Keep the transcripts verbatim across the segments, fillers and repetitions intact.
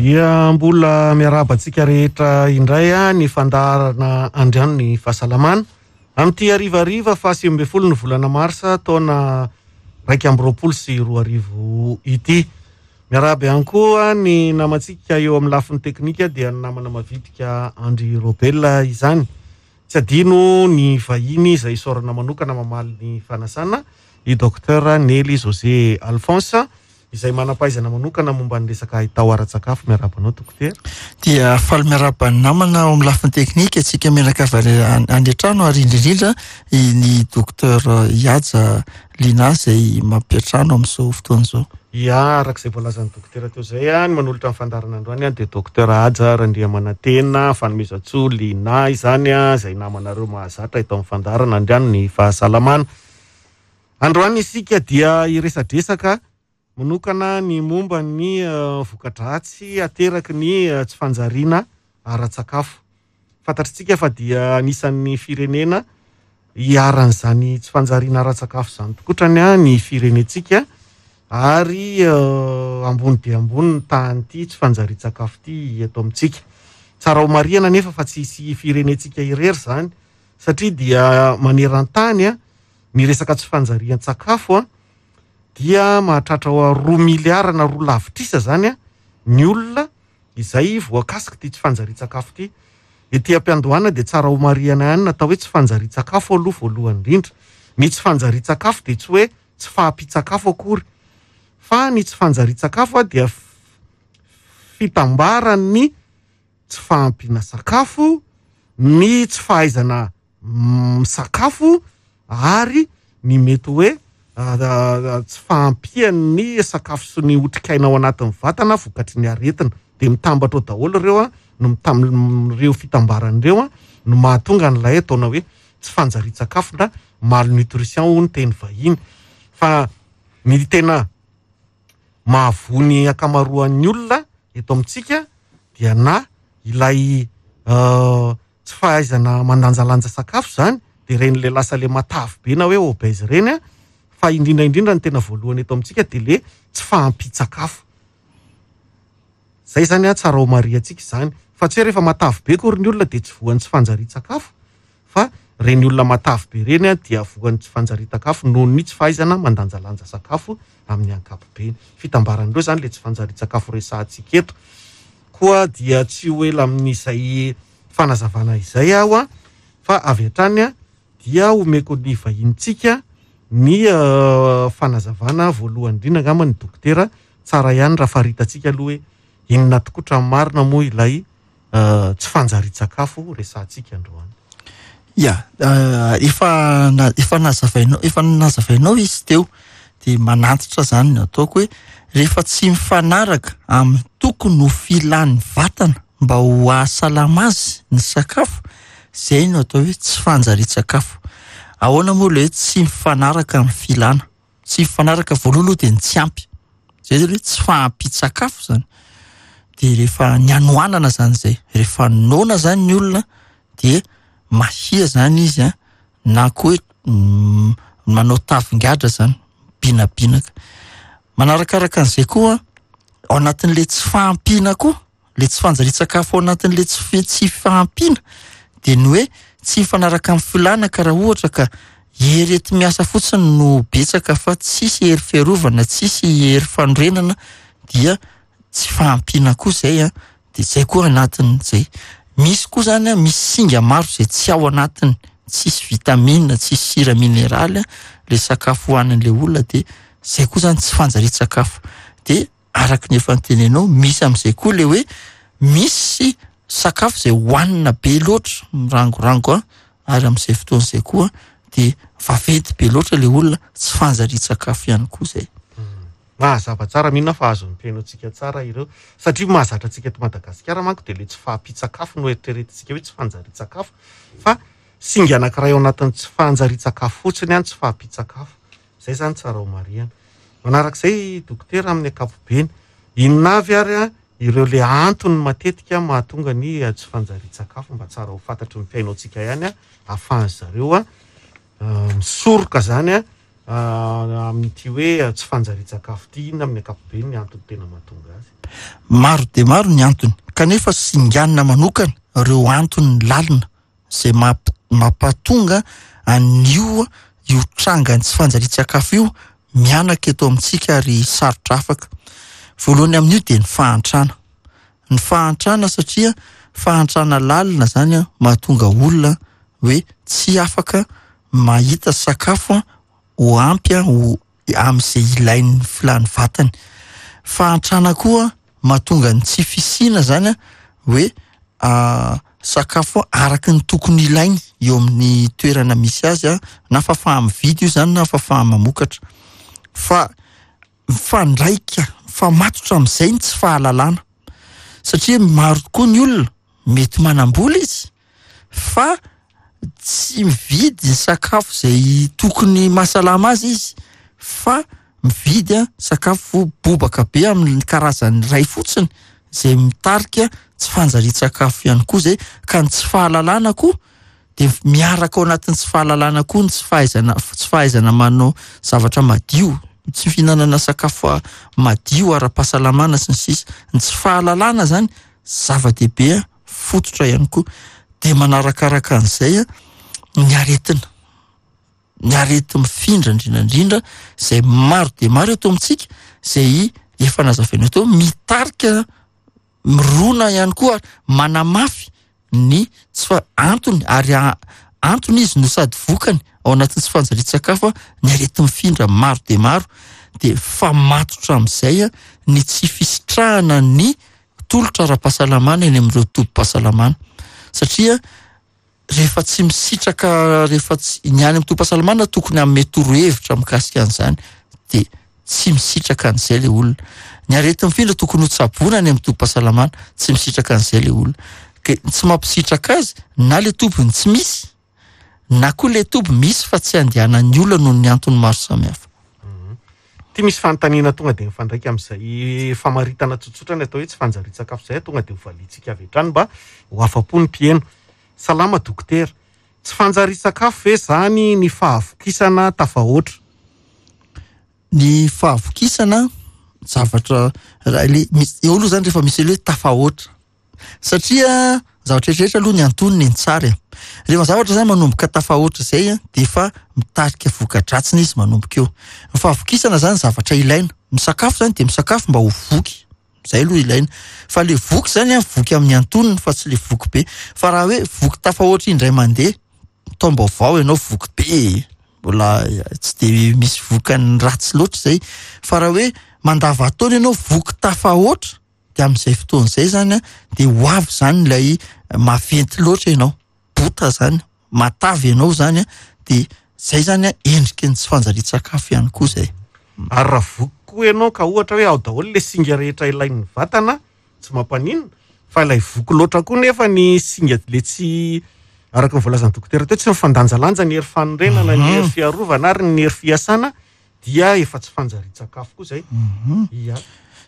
Dia mbola miarahaba antsika rehetra indray a ny fandaharana Andriano ny Fahasalamana amin'ity harivariva fahasivy ambin'ny folo ny volana marsa taona raika amby roapolo sy roa arivo ity. Miarahaba ihany koa ny namantsika eo amin'ny lafiny teknika, dia ny namana mavitrika Andry Robel izany. Tsy adino ny vahiny izay isaorana manokana mamaly ny fanasana, i Docteur Nely José Alphonse, izay manam-pahaizana manokana momba ny resaka haitao ara-tsakafo. Miarahaba anao, dokotera. Dia faly miarahaba ny namana ao amin'ny lafiny teknika, antsika mianakavy any any an-trano, ary indrindrindra ny docteur Ihaja Lina izay mampiantrano amin'izao fotoana izao. Ia, araka izay voalazan'ny dokotera teo izay, ny manolotra ny fandaharana androany dia Docteur Haja Randriamanantena Fanomezantsoa Lina izany, izay namanareo mahazatra eto amin'ny fandaharana Andriano ny Fahasalamana. Androany isika dia hiresadresaka manokana ny momba ny voka-dratsy ateraky ny tsy fanjariana ara-tsakafo. Fantatritsika fa dia anisan'ny firenena iharan'izany tsy fanjariana ara-tsakafo izany tokotrany ny firenentsika, ary ambony dia ambony ny tahan'ity tsy fanjarian-tsakafo ity eto amintsika. Tsara ho marihana nefa fa tsy hisy firenentsika irery izany, satria dia maneran-tany ny resaka tsy fanjarian-tsakafo dia mahatratra ho roa miliara na roa lavitrisa zany ny olona izay voakasika ity tsy fanjarian-tsakafo ity. Ety am-piandohana dia tsara ho marihana ihany natao hoe tsy fanjarian-tsakafo aloha voalohany indrindra. Ny tsy fanjarian-tsakafo dia tsy hoe tsy fahampian-tsakafo akory, fa ny tsy fanjarian-tsakafo dia fitambaran'ny tsy fahampiana sakafo, ny tsy fahaizana misakafo, ary ny mety hoe tsy fahampian'ny sakafo sy ny otrikaina ao anatin'ny vatana vokatry ny aretina. Dia mitambatra ao daholo ireo a, no mitam-, ireo fitambaran'ireo a, no mahatonga an'ilay ataona hoe tsy fanjarian-tsakafo na malnutrition hoy ny teny vahiny. Fa ny tena mahavoa ny ankamaroan'ny olona eto amintsika dia na ilay tsy fahaizana mandanjalanja sakafo zany, dia ireny le lasa le matavy be na hoe obèse ireny a, fa indrindra indrindra ny tena voalohany eto amintsika dia le tsy fahampian-tsakafo. Zay zany a, tsara ho marihantsika izany, fa tsy hoe rehefa matavy be akory ny olona dia tsy voan'ny tsy fanjarian-tsakafo, fa ireny olona matavy be ireny a dia voan'ny tsy fanjarian-tsakafo noho ny tsy fahaizana mandanjalanja sakafo amin'ny ankapobeny. Fitambaran'ireo zany le tsy fanjarian-tsakafo resahantsika eto. Koa dia tsy ho ela amin'izay fanazavana izay aho a, fa avy hatrany a dia omeko ny vahintsika ny fanazavana voalohany indrindra angamba ny dokotera. Tsara ihany raha faritantsika aloha hoe inona tokoa ny marina moa ilay tsy fanjarian-tsakafo resahantsika androany. Ia, efa na- efa nazavainao, efa nazavainao izy teo, dia manantitra zany ny ataoko hoe rehefa tsy mifanaraka amin'ny tokony ho filan'ny vatana mba ho ahasalama azy ny sakafo, zay no atao hoe tsy fanjarian-tsakafo. Ahoana moa le hoe tsy mifanaraka amin'ny filana? Tsy mifanaraka voalohany aloha dia ny tsy ampy. Zay zany hoe tsy fahampian-tsakafo zany. Dia rehefa ny hanoanana zany zay, rehefa noana zany ny olona dia mahia zany izy a, na koa hoe manao tavingadra zany, binabinaka. Manarakaraka an'izay koa ao anatin'le tsy fahampiana koa, le tsy fanjarian-tsakafo ao anatin'le tsy fi-, tsy fahampiana, dia ny hoe tsy mifanaraka amin'ny filana, ka raha ohatra ka hery enti-miasa fotsiny no betsaka fa tsisy hery fiarovana, tsisy hery fanorenana, dia tsy fahampiana koa zay a, dia zay koa anatin'izay. Misy koa zany a, misy singa maro zay tsy ao anatiny, tsisy vitamine, tsisy sira mineraly a, le sakafo hohanin'le olona, dia zay koa zany tsy fanjarian-tsakafo. Dia araka ny efa notenenao, misy amin'izay koa le hoe misy sakafo zay hohanina be loatra, mirangorango a, ary amin'izay fotoana izay koa dia vaventy be loatra le olona, tsy fanjarian-tsakafo ihany koa zay. Mahazava tsara, mino aho fa azon'ny mpihaino antsika tsara ireo, satria mahazatra antsika eto Madagasikara manko dia le tsy fahampian-tsakafo no eritreretintsika hoe tsy fanjarian-tsakafo, fa singa anankiray ao anatin'ny tsy fanjarian-tsakafo fotsiny ihany tsy fahampian-tsakafo. Zay zany tsara ho marihana. Manarak'izay dokotera amin'ny ankapobeny, inona avy ary a ireo le antony matetika mahatonga ny tsy fanjarian-tsakafo, mba tsara ho fantatry ny mpihaino antsika ihany a, ahafahan'ny zareo a misoroka zany a Amin'ity hoe tsy fanjarian-tsakafo ity, inona amin'ny ankapobeny ny antony tena mahatonga azy? Maro de maro ny antony, kanefa singanina manokana ireo antony lalina izay mamp- mampatonga an'io io trangany tsy fanjarian-tsakafo io mianaka eto amintsika ary sarotra afaka. Voalohany amin'io dia ny fahantrana. Ny fahantrana, satria fahantrana lalina zany a mahatonga olona hoe tsy afaka mahita sakafo a ho ampy a ho amin'izay ilain'ny filan'ny vatany. Fahantrana koa mahatonga ny tsy fisiana zany a hoe sakafo araka ny tokony ilainy eo amin'ny toerana misy azy a, na fahafaha-mividy io zany na fahafaha-mamokatra. Fa mifandraika, mifamatotra amin'izay ny tsy fahalalana, satria maro tokoa ny olona mety manam-bola izy fa tsy mividy ny sakafo izay tokony mahasalama azy izy, fa mividy a sakafo bobaka be amin'ny karazany iray fotsiny izay mitarika tsy fanjarian-tsakafo ihany koa zay. Ka ny tsy fahalalana koa de miaraka ao anatin'ny tsy fahalalana koa ny tsy fahaizana, tsy fahaizana manao zavatra madio, tsy fihinanana sakafo madio ara-pahasalamana sy ny sisa. Ny tsy fahalalana zany zava-dehibe fototra ihany koa. De manarakaraka an'izay ny aretina, ny areti-mifindra indrindra indrindra izay maro dia maro eto amintsika, izay efa nazavaina teo, mitarika mirona ihany koa ary manamafy ny tsy fa-, antony, ary a-, antony izy no sady vokany ao anatin'ny tsy fanjarian-tsakafo ny areti-mifindra maro dia maro. De famatotra amin'izay ny tsy fisitrahana ny tolotra ara-pahasalamana eny amin'ireo tobim-pahasalamana, satria rehefa tsy misitraka, rehefa tsy ny any amin'ny tobim-pahasalamana tokony hanome torohevitra mikasika an'izany, de tsy misitraka an'izay le olona. Ny areti-mifindra tokony ho tsaboina any amin'ny tobim-pahasalamana, tsy misitraka an'izay le olona. Ke tsy mampisitraka azy na le tobiny tsy misy, na koa le toby misy fa tsy andehanan'ny olona noho ny antony maro samihafa. Ty misy fanontaniana tonga de mifandraika amin'izay famaritana tsotsotra ny atao hoe tsy fanjarian-tsakafo izay, tonga de hovaliantsika avy hatrany mba ho afa-po ny mpihaino. Salama dokotera, tsy fanjarian-tsakafo ve zany ny fahavokisana tafahoatra? Ny fahavokisana zavatra raha le misy eo aloha zany rehefa misy le hoe tafahoatra, satria zavatra rehetrarehetra aloha ny antonony ny tsara e. Rehefa zavatra zany manomboka tafahoatra izay a, de efa mitarika voka-dratsiny izy manomboka eo. Ny fahavokisana zany zavatra ilaina. Misakafo zany de misakafo mba ho voky, zay aloha ilaina. Fa le voky zany a, voky amin'ny antonony fa tsy le voky be. Fa raha hoe voky tafahoatra indray mandeha, taom-baovao ianao voky be, mbola tsy de misy vokany ratsy loatra zay. Fa raha hoe mandava-taona ianao voky tafahoatra, de amin'izay fotoana izay zany a, de ho avy zany ilay maventy loatra ianao, bota zany, matavy ianao zany a, de zay zany a endriky ny tsy fanjarian-tsakafo ihany koa zay. Ary raha voky koa ianao ka ohatra hoe ao daholo le singa rehetra ilain'ny vatana, tsy mampaninona, fa ilay voky loatra koa nefa ny singa le tsy araka ny voalazan'ny dokotera teo, tsy mifandanjalanja ny hery fanorenana, ny hery fiarovana ary ny hery fiasana, dia efa tsy fanjarian-tsakafo koa zay. Mhm. Ia.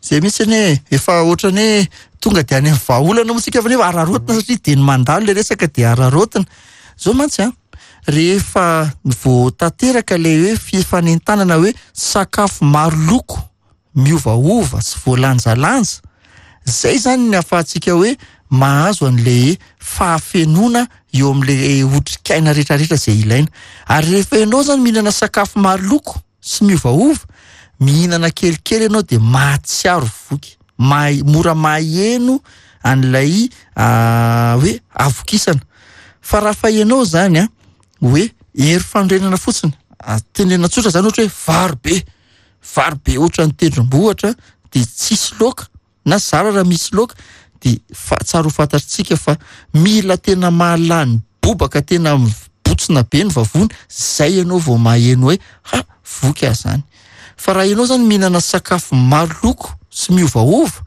Zay mihitsy anie, efa ohatrany hoe tonga de any amin'ny vahaolana moa tsika fa nefa araraotina, satria de ny mandalo le resaka de araraotina. Zao mantsy a, rehefa vao tanteraka le hoe fifanentanana hoe sakafo maro loko miovaova sy voalanjalanja, zay zany ny ahafahantsika hoe mahazo an'le fahafenoana eo amin'le otrikaina rehetrarehetra zay ilaina. Ary rehefa ianao zany mihinana sakafo maro loko sy miovaova, mihinana kelikely ianao de mahatsiaro voky, mahay-, mora maheno an'ilay, ah, hoe havokisana. Fa raha fa ianao zany a, hoe hery fanorenana fotsiny, ah, tenenina tsotra zany ohatra hoe vary be, vary be ohatra ny tendrombohitra, de tsisy laoka na zara raha misy laoka, de fa-, tsara ho fantatsika fa mila tena mahalany bobaka, tena mibotsina be ny vavony, zay ianao vao maheno hoe ha, voky aho zany. Fa raha ianao zany mihinana sakafo maro loko sy miovaova,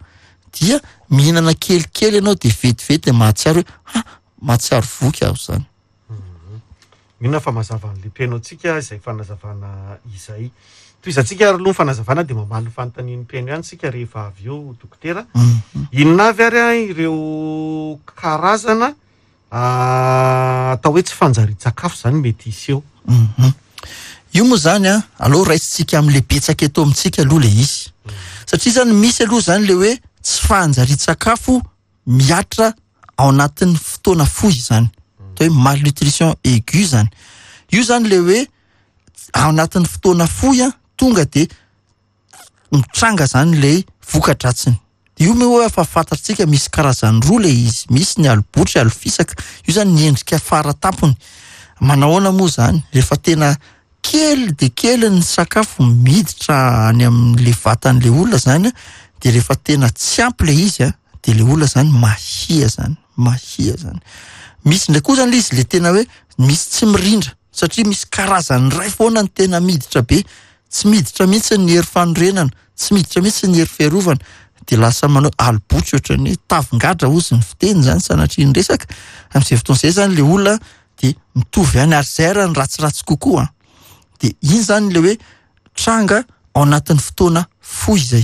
dia mihinana kelikely ianao de vetivety mahatsiaro hoe ha, mahatsiaro voky aho zany. Mino fa mazava an'ilay mpihaino antsika izay fanazavana izay. Tohizantsika ary aloha ny fanazavana de mamaly ny fanontanian'ny mpihaino ihany isika rehefa avy eo, dokotera. Mhm. Inona avy ary a ireo karazana, ah, atao hoe tsy fanjarian-tsakafo zany mety hiseho? Mhm. Io moa zany a, aloha raisitsika am'le betsaka eto amintsika aloha le izy, satria zany misy aloha zany le hoe tsy fanjarian-tsakafo miatra ao anatin'ny fotoana fohy zany, atao hoe malnutrition aiguë zany. Io zany le hoe ao anatin'ny fotoana fohy a, tonga de mitranga zany le voka-dratsiny. Io moa hoe efa fantatsika misy karazany roa le izy, misy ny alobotry, alofisaka. Io zany ny endrika faratampony. Manahoana moa zany? Rehefa tena kely de kely ny sakafo miditra any amin'le vatan'le olona zany, de rehefa tena tsy ampy le izy a, de le olona zany mahia zany, mahia zany. Misy ndray koa zany le izy le tena hoe misy tsy mirindra, satria misy karazany ray foana ny tena miditra be, tsy miditra mihitsy ny hery fanorenana, tsy miditra mihitsy ny hery fiarovana, de lasa manao alobotry ohatran'ny hoe tavin-gadra ozy ny fiteny zany, sanatria ny resaka. Amin'izay fotoana izay zany le olona de mitovy ihany, ary zay raha ny ratsiratsy kokoa. De iny zany le hoe tranga ao anatin'ny fotoana fohy zay.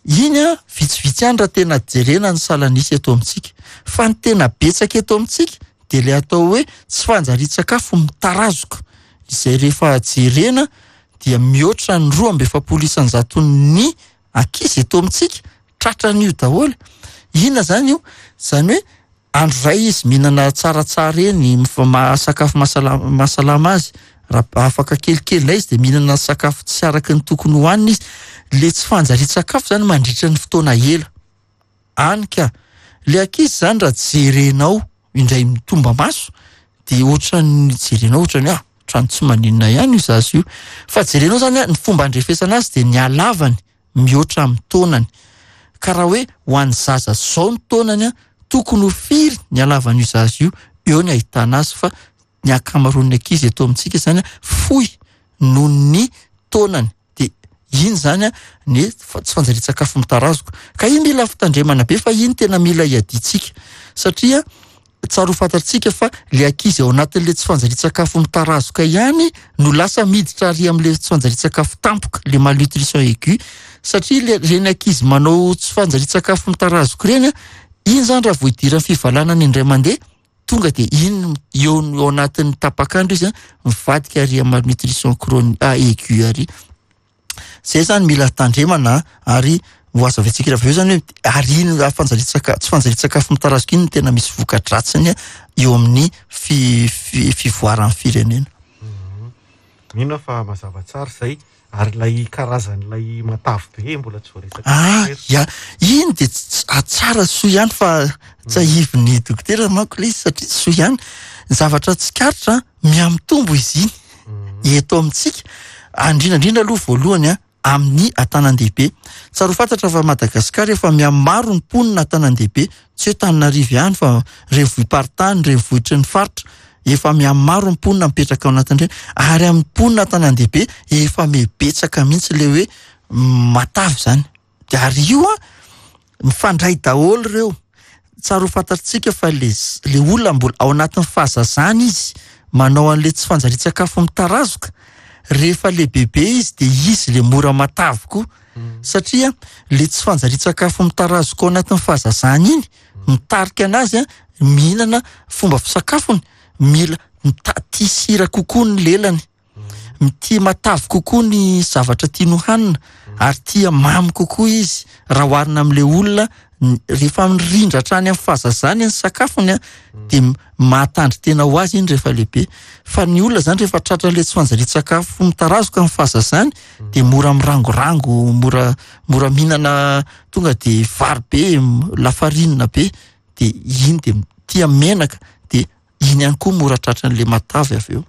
Iny a vitsivitsy ihany raha tena jerena ny salanisy eto amintsika, fa ny tena betsaka eto amintsika de le atao hoe tsy fanjarian-tsakafo mitarazoka, izay rehefa jerena dia mihoatra ny roa amby efapolo isan-jaton'ny ankizy eto amintsika tratran'io daholo. Inona zany io? Zany hoe andro ray izy mihinana tsaratsara eny, sakafo mahasalama azy, raha afaka kelikely indray izy de mihinana sakafo tsy araka ny tokony hohanina izy. Le tsy fanjarian-tsakafo zany mandritra ny fotoana ela. Any ka le ankizy zany raha jerenao indray mitomba maso de ohatran'ny jerenao ohatran'ny ah ohatran'ny tsy maninona ihany io zaza io, fa jerenao zany ny fomba andrefesana azy de ny halavany mihoatra amin'ny taonany. Ka raha hoe ho an'ny zaza zao ny taonany a, tokony ho firy ny halavan'io zaza io, eo ny ahitana azy. Fa ny ankamaroan'ny ankizy eto amintsika zany fohy noho ny taonany, de iny zany ny tsy fanjarian-tsakafo mitarazoka. Ka iny mila fitandremana be, fa iny tena mila iadintsika, satria tsara ho fantatsika fa le ankizy ao anatin'le tsy fanjarian-tsakafo mitarazoka ihany no lasa miditra ary amin'le tsy fanjarian-tsakafo tampoka, le malnutrition aiguë, satria le reny ankizy manao tsy fanjarian-tsakafo mitarazoka ireny, iny zany raha vao idiran'ny fivalanana indray mandeha, tonga de iny eo ao anatin'ny tapak'andro izy mivadika ary amin'ny malnutrition chronique aiguë ary. Zay zany mila tandremana, ary ho azavaintsika raha avy eo zany hoe ary iny fanjarian-tsaka-, tsy fanjarian-tsakafo mitarazoka iny no tena misy voka-dratsiny eo amin'ny fi-, fi-, fivoaran'ny firenena. Mino aho fa mazava tsara izay, ary ilay karazan'ilay matavy be mbola tsy voaresaka. Ah, ya, iny de tsara soa ihany fa tsahivin'ny dokotera manko ilay izy, satria soa ihany. Ny zavatra tsikaritra mihamitombo izy iny eto amintsika, indrindra aloha voalohany a amin'ny an-tanàn-dehibe. Tsara ho fantatra fa Madagasikara efa mihamaro ny mponina an-tanàn-dehibe, tsy hoe Tananarivo ihany fa renivohi-paritany, renivohitry ny faritra, efa mihamaro ny mponina mipetraka ao anatin'ireny, ary amin'ny mponina an-tanàn-dehibe efa mibetsaka mihitsy le hoe matavy zany. De ary io a mifandray daholo ireo. Tsara ho fantatsika fa le le olona mbola ao anatin'ny fahazazana izy manao an'le tsy fanjarian-tsakafo mitarazoka, rehefa lehibebe izy de izy le mora matavy koa, satria le tsy fanjarian-tsakafo mitarazoka ao anatin'ny fahazazana iny mitarika anazy a mihinana fomba fisakafony, mila mita-, tia sira kokoa ny lelany, tia matavy kokoa ny zavatra tiany hohanina, ary tia mamy kokoa izy raha oharina amin'le olona rehefa mirindra hatrany amin'ny fahazazany ny sakafony a, de mahatandry tena ho azy iny rehefa lehibe. Fa ny olona zany rehefa tratra le tsy fanjarian-tsakafo mitarazoka amin'ny fahazazany de mora mirangorango, mora, mora mihinana tonga de vary be, lafarinina be, de iny de tia menaka, de iny ihany koa mora tratran'le matavy avy eo.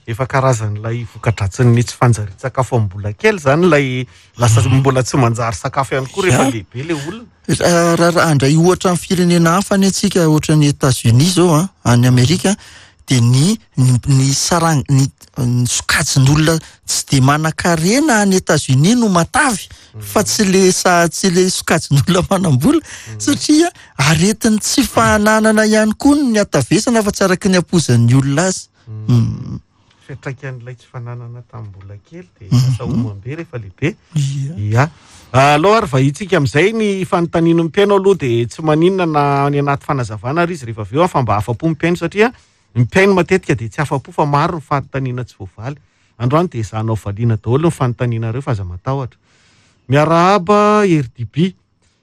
Efa karazan'ilay voka-dratsin'ny tsy fanjarian-tsakafo amin'ny mbola kely zany, ilay lasa mbola tsy manjary sakafo ihany koa rehefa lehibe le olona. Raha, raha handray ohatra amin'ny firenena hafa any antsika, ohatra ny États-Unis zao a, any Amerika, de ny, ny, ny sarang-, ny, ny sokajin'olona tsy de manan-karena any États-Unis no matavy, fa tsy le sa-, tsy le sokajin'olona manam-bola, satria aretin'ny tsy fahananana ihany koa ny hatavesana fa tsy araky ny ampoizan'ny olona azy. Mm. Fiantraikan'ilay tsy fananana tamin'ny mbola kely de lasa homam-be rehefa lehibe. Ia. Ia. Aloha ary vahitsika amin'izay ny fanontaniana ny mpihaino aloha de tsy maninona na any anaty fanazavana ary izy rehefa avy eo, fa mba afa-po ny mpihaino, satria ny mpihaino matetika de tsy afa-po fa maro ny fanontaniana tsy voavaly. Androany dia ezahanao valiana daholo ny fanontanianareo fa aza matahotra. Miarahaba R D B.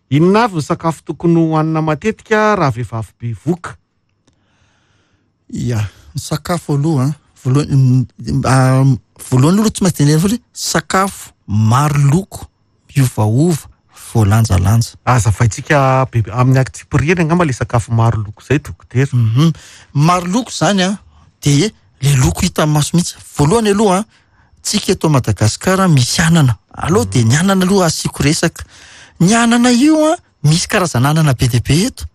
Inona avy ny sakafo tokony hohanina matetika raha vehivavy bevoka? Ia, ny sakafo aloha, voalohany, voalohany aloha tsy maintsy tenenina foana hoe sakafo maro loko, miovaova, voalanjalanja. Azavaintsika bebe amin'ny antsipiriany angamba le sakafo maro loko izay, dokotera. Mhm. Maro loko zany a, de le loko hita amin'ny maso mihitsy. Voalohany aloha, tsika eto Madagasikara misy anana. Aloha de ny anana aloha asiako resaka. Ny anana io a, misy karazana anana be dia be eto.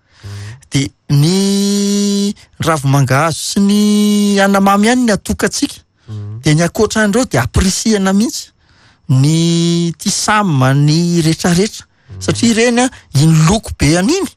De ny ravi-mangahazo sy ny anamamy ihany ny atokantsika. De ny ankoatran'ireo de ampirisihana mihitsy ny tisama, ny rehetrarehetra. Satria ireny a, iny loko be an'iny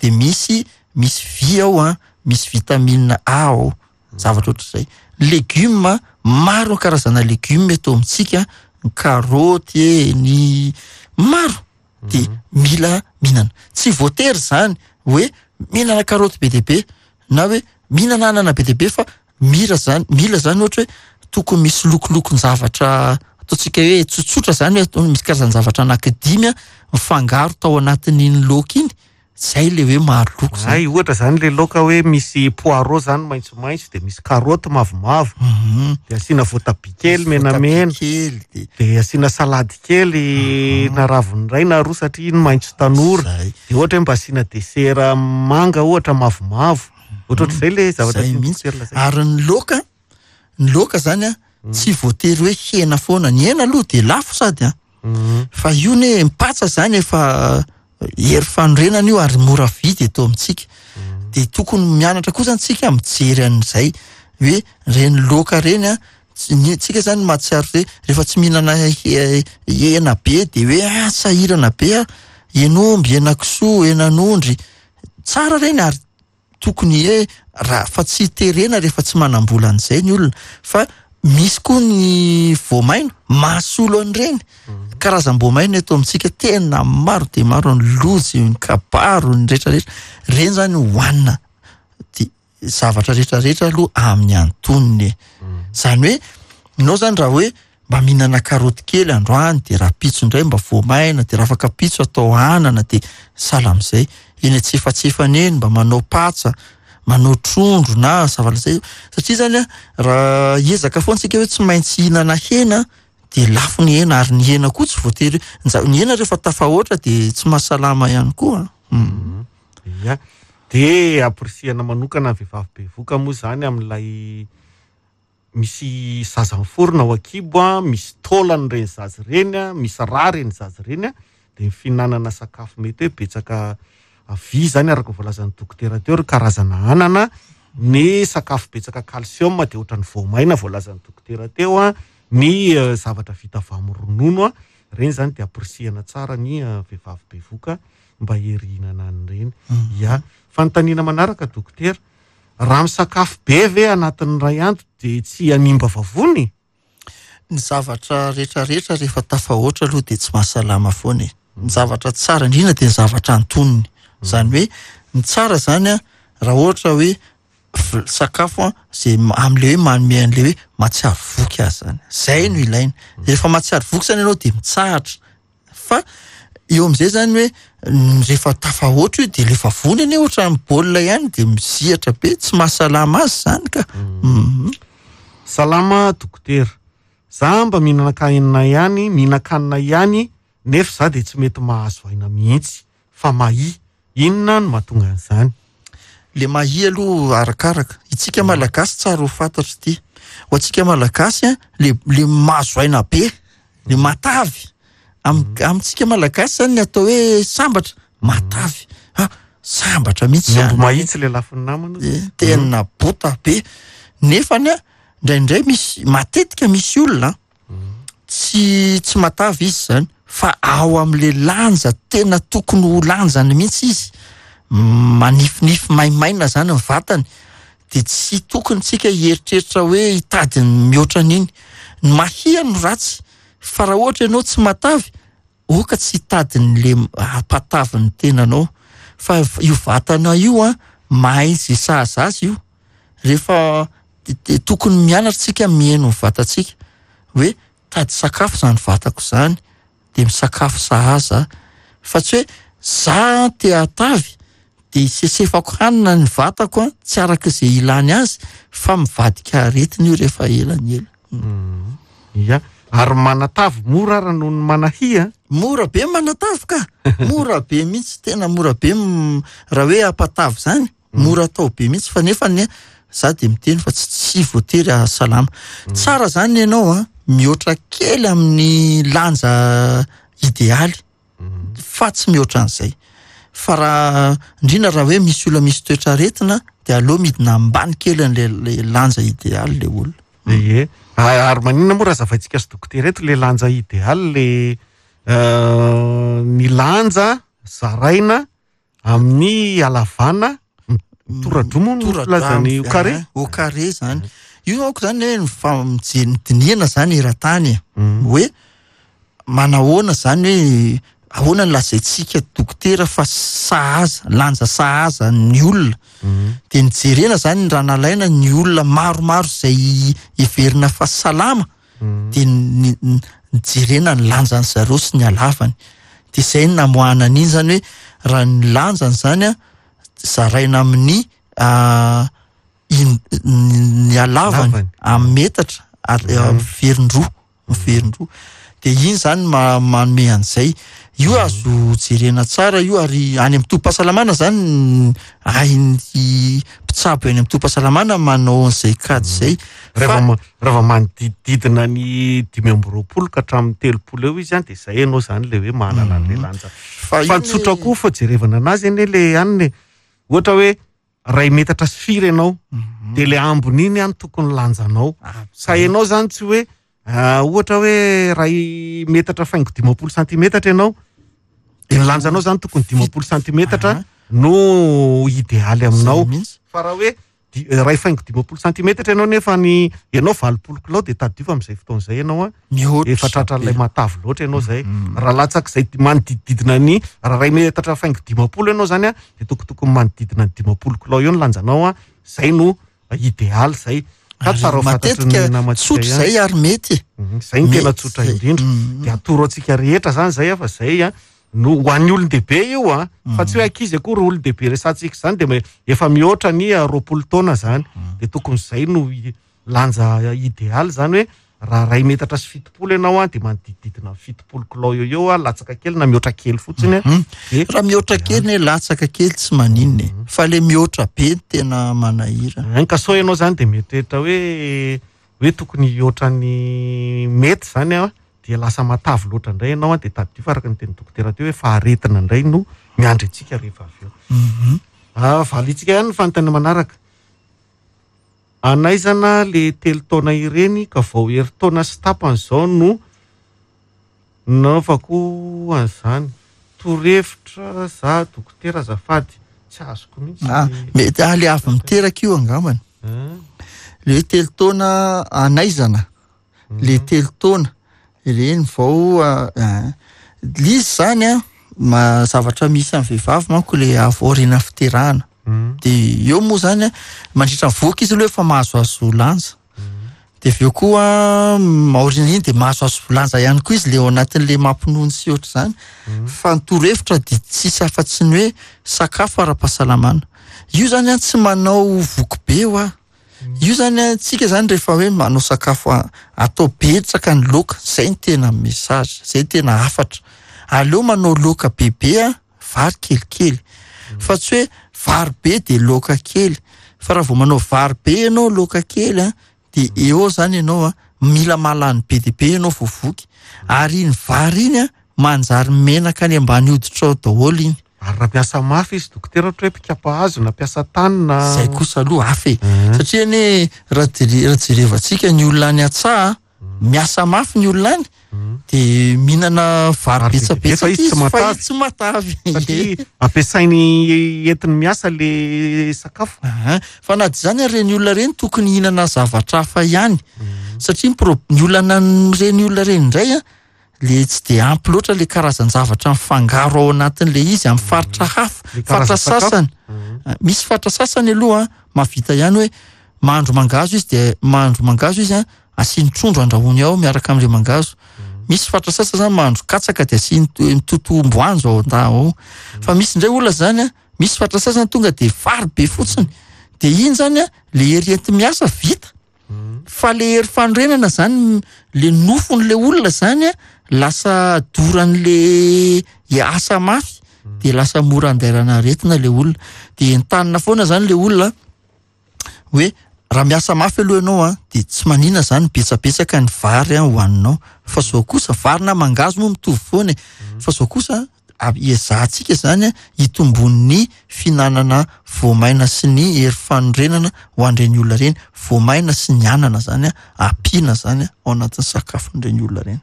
de misy, misy vy ao a, misy vitamine A ao, zavatra ohatr'izay. Legioma, maro ny karazana legioma eto amintsika, ny karaoty e, ny maro. De mila mihinana. Tsy voatery zany hoe mihinana karaoty be dia be na hoe mihinana anana be dia be, fa mira zany, mila zany ohatra hoe tokony misy lokolokon-javatra ataontsika hoe tsotsotra zany hoe misy karazan-javatra anankidimy a, mifangaro tao anatin'iny laoka iny. Zay le hoe maro loko zany. Ay, ohatra zany le laoka hoe misy poireau zany maitsomaitso, de misy karaoty mavomavo, Mhm. de asiana voatabia kely Voatabia menamena, kely, de de asiana salady kely Mhm. na raviny iray na roa satria iny maitso tanora. Zay. De ohatra hoe mba asiana desera manga ohatra mavomavo. Ohatra ohatr'izay le zavatra Zay tian'ny mihitsy. dokotera lazaina. Ary ny laoka, ny laoka zany a, tsy voatery hoe hena foana. Ny hena aloha de lafo sady a. Mhm. Fa io ne mipatsa zany efa hery fanorenana io ary mora vidy eto amintsika. De tokony mianatra koa zany tsika mijery an'izay hoe reny laoka reny a, tsy-, ny tsika zany mahatsiaro hoe rehefa tsy mihinana he-, hena be de hoe, ah, sahirana be a, hen'omby, henakisoa, henan'ondry, tsara reny ary tokony hoe raha fa tsy terena rehefa tsy manam-bola an'izay ny olona. Fa misy koa ny voamaina mahasolo an'ireny. Karazam-boamaina eto amintsika tena maro dia maro, ny lojy, ny kabaro, ny rehetrarehetra. Ireny zany hohanina. De zavatra rehetrarehetra aloha amin'ny antonony e. Zany hoe ianao zany raha hoe mba mihinana karaoty kely androany, de rahampitso indray mba voamaina, de raha afaka pitso atao anana, de sahala amin'izay. Eny antsefatsefany eny mba manao patsa, manao trondro na zavatra izay. Satria zany a, raha hiezaka foana tsika hoe tsy maintsy hihinana hena, de lafo ny hena, ary ny hena koa tsy voatery hoe, ny za-, ny hena rehefa tafahoatra de tsy mahasalama ihany koa. Mm. Ia. De ampirisihana manokana ny vehivavy bevoka moa zany amin'ilay misy zaza miforona ao an-kibo a, misy taolana ireny zaza ireny a, misy rà ireny zaza ireny a, de ny fihinanana sakafo mety hoe betsaka vy zany araka ny voalazan'ny dokotera teo, ry karazana anana, ny sakafo betsaka calcium de ohatran'ny voamaina voalazan'ny dokotera teo a, ny, eh, zavatra vita avy amin'ny ronono a, ireny zany de ampirisihana tsara ny, eh, vehivavy bevoka mba herihinana an'ireny. Mm. Ia. Fanontaniana manaraka dokotera, raha misakafo be ve anatin'ny iray andro de tsy hanimba vavony? Ny zavatra rehetrarehetra rehefa tafahoatra aloha de tsy mahasalama foana e. Ny zavatra tsara indrindra de ny zavatra antonony. Zany hoe ny tsara zany a, raha ohatra hoe v-, sakafo a, zay ma-, amin'le hoe manome an'le hoe mahatsiaro voky azy zany. Zay no ilaina. Rehefa mahatsiaro voky zany ianao de mitsahatra. Fa eo amin'izay zany hoe n-, rehefa tafahoatra io de le vavony anie ohatran'ny baolina ihany de mizihatra be, tsy mahasalama azy zany ka. Mm. Mm. Salama dokotera. Za mba mihinana kanina ihany, mihinan-kanina ihany, nefa za de tsy mety mahazo aina mihitsy fa mahia. Inona no mahatonga an'izany? Le mahia aloha arakaraka. Itsika Malagasy tsara ho fantatra ity. Ho antsika Malagasy a, le, le mahazo aina be, le matavy. Am-, amintsika Malagasy zany ny atao hoe sambatra, matavy. Ah, sambatra mihitsy Ny omby zany. mahitsy le lafin'ny namana. Eh, tena bota be. Nefany a, indraindray misy, matetika misy olona tsy, tsy matavy izy zany, fa ao amin'le lanja tena tokony ho lanjany mihitsy izy. Manifinify maimaina zany ny vatany. De tsy tokony tsika hieritreritra hoe hitady ny mihoatra an'iny. Ny mahia no ratsy, fa raha ohatra ianao tsy matavy, oka tsy hitady n'le hampatavy ny tenanao. Fa io vatana io a, mahay izay sahaza azy io. Rehefa te-, te-, tokony mianatra tsika mihaino ny vatantsika. Hoe tady sakafo zany vatako zany, de misakafo sahaza, fa tsy hoe za te hatavy de sesefako hanina ny vatako a, tsy araka izay ilany azy, fa mivadika aretina io rehefa ela ny ela. Ia, ary manatavy mora ara noho ny manahia. Mora be manatavy ka, mora be mihitsy, tena mora be raha hoe ampatavy zany, mora atao be mihitsy, fa nefa ny za de miteny fa tsy, tsy voatery ahasalama. Tsara zany ianao a, mihoatra kely amin'ny lanja idealy, fa tsy mihoatra an'izay. Fa raha indrindra raha hoe misy olona misy toetra aretina, de aleo midina ambany kely an'le le lanja idealy le olona. Ie, ary maninona moa raha zavaintsika sy dokotera eto le lanja idealy, le ny lanja zaraina amin'ny halavana toradroa moa no filazany au carré? Au carré zany. Io aoko zany hoe ny fa- mijery ny dinihana zany eran-tany e. Hoe manahoana zany hoe ahoana ny lazaintsika dokotera fa sahaza, lanja sahaza ny olona. De nijerena zany raha nalaina ny olona maromaro izay heverina fa salama, de ny-, ny-, nijerena ny lanjany zareo sy ny halavany. De izay no namoahana an'iny zany hoe raha ny lanjany zany a, zaraina amin'ny, ah, in-, ny halavany Halavany. amin'ny metatra, ary, ah, miverin-droa, miverin-droa. De iny zany ma-, manome an'izay. Io azo jerena tsara io, ary any amin'ny tobim-pahasalamana zany, hain'ny mpitsabo any amin'ny tobim-pahasalamana manao an'izay kajy izay. Raha Fa vao ma-, raha vao manodidididina ny dimy amby roapolo ka hatramin'ny telopolo eo izy an, de zay ianao zany le hoe manana an'le lanja. Fa Fa iny tsotra koa fa jerevana anazy anie le hanina e. Ohatra hoe ray metatra sy firy ianao, de le ambiny iny an tokony lanjanao. Ah, Ka ianao zany tsy hoe, ah, ohatra hoe ray metatra faingo dimampolo santimetatra ianao, de ny lanjanao zany tokony dimampolo santimetatra Aha. no idealy aminao. Zay mihitsy. Fa raha hoe di-, ray faingo dimampolo santimetatra ianao nefa ny ianao valopolo kilao, de tadidio fa amin'izay fotoana izay ianao a, Mihoatra efa tratran'ilay be. matavy loatra ianao zay. Mm. Raha latsak'izay di-, manodidididina ny, raha ray metatra faingo dimampolo ianao zany a, de tokotokony manodidina ny dimampolo kilao eo ny lanjanao a, zay no idealy zay. Ka Ary tsara ho fantatry ny matetika namantsika tsotra ihany. zay ary mety. Mhm, zay no tena Mety tsotra zay. indrindra. Mhm. De atoro antsika rehetra zany zay a, fa zay a, no ho an'ny olon-dehibe io a, fa tsy hoe ankizy akory olon-dehibe resantsika zany, de me-, efa mihoatra ny roapolo taona zany. De tokony zay no i-, lanja idealy zany hoe raha ray metatra sy fitopolo ianao a, de manodidididina ny fitopolo kilao eo eo a, latsaka kely na mihoatra kely fotsiny a. Mhm. De Raha mihoatra kely ne latsaka kely tsy maninona e. Fa le mihoatra be no tena manahirana. Ka sao ianao zany de mieritreritra hoe, hoe tokony hihoatra ny mety zany a, de lasa matavy loatra indray ianao a, de tadidio fa araka ny teny dokotera teo hoe faharetina indray no miandry antsika rehefa avy eo. Mhm. Ah, valitsika ihany ny fanontaniana manaraka. Anaizana le telo taona ireny ka vao herintaona sy tapany izao no nanaovako an'izany. Torohevitra za dokotera azafady, tsy azoko mihitsy. Ah, mety, ah, le avy miteraka io angambany. Ah. Le hoe telo taona anaizana, le telo taona ireny vao, ah, ah, le izy zany a, ma-, zavatra misy amin'ny vehivavy manko le avy aoriana fiterahana. Mm. De eo moa zany a, mandritra ny vohoka izy aloha efa mahazoazo lanja. De avy eo koa, mm, aoriana iny de mahazoazo lanja ihany koa izy le ao anatin'le mampinono sy ohatr'izany. Mm. Fa ny torohevitra de tsisy afa-tsy ny hoe sakafo ara-pahasalamana. Io zany a, tsy manao voky be ho a. Io zany a, tsika zany rehefa hoe manao sakafo a-, atao betsaka ny laoka, zay ny tena message, zay ny tena hafatra. Aleo manao laoka bebe a, vary kelikely. Fa tsy hoe vary be de laoka kely. Fa raha vao manao vary be ianao laoka kely a, de eo zany ianao a, mila mahalany be dia be ianao vao voky. Ary iny vary iny a, manjary menaka any ambany hoditra ao daholo iny. Ary raha mpiasa mafy izy dokotera, ohatra hoe mpikapa hazo na mpiasa tany na Zay kosa aloha hafa e. Mhm. Satria anie raha jere-, raha jerevantsika ny olona any an-tsaha, miasa mafy ny olona any, Mhm. de mihinana vary Vary be dia be, fa betsabetsaka izy tsy izy, fa matavy. izy tsy matavy. Satria ampiasainy entiny miasa le sakafo. Aha. Fa na dia izany ary ireny olona ireny tokony hihinana zavatra hafa ihany. Mhm. Satria ny pro-, ny olana amin'ireny olona ireny indray a, le tsy de ampy loatra le karazan-javatra mifangaro ao anatin'le izy amin'ny faritra hafa, Le faritra karazan-tsakafo. sasany. Mhm. Misy faritra sasany aloha a, mahavita ihany hoe mahandro mangahazo izy, de mahandro mangahazo izy a, asiany trondro andrahoany ao miaraka am'le mangahazo. Misy faritra sasany zany mahandro katsaka de asiany mitotomboanjo ao anda ao. Fa misy indray olona zany a, misy faritra sasany tonga de vary be fotsiny. De iny zany a, le hery enti-miasa vita. Fa le hery fanorenana zany, le nofon'le olona zany a, lasa doran'le asa mafy, de lasa mora andairana aretina le olona. De entanina foana zany le olona hoe raha miasa mafy aloha ianao a, de tsy manina zany betsabetsaka ny vary a hohaninao. Fa zao kosa vary na mangahazo moa mitovy foana e. Fa zao kosa iezahantsika zany a hitombon'ny fihinanana voamaina sy ny hery fanorenana ho an'ireny olona ireny. Voamaina sy ny anana zany a ampiana zany a ao anatin'ny sakafon'ireny olona ireny.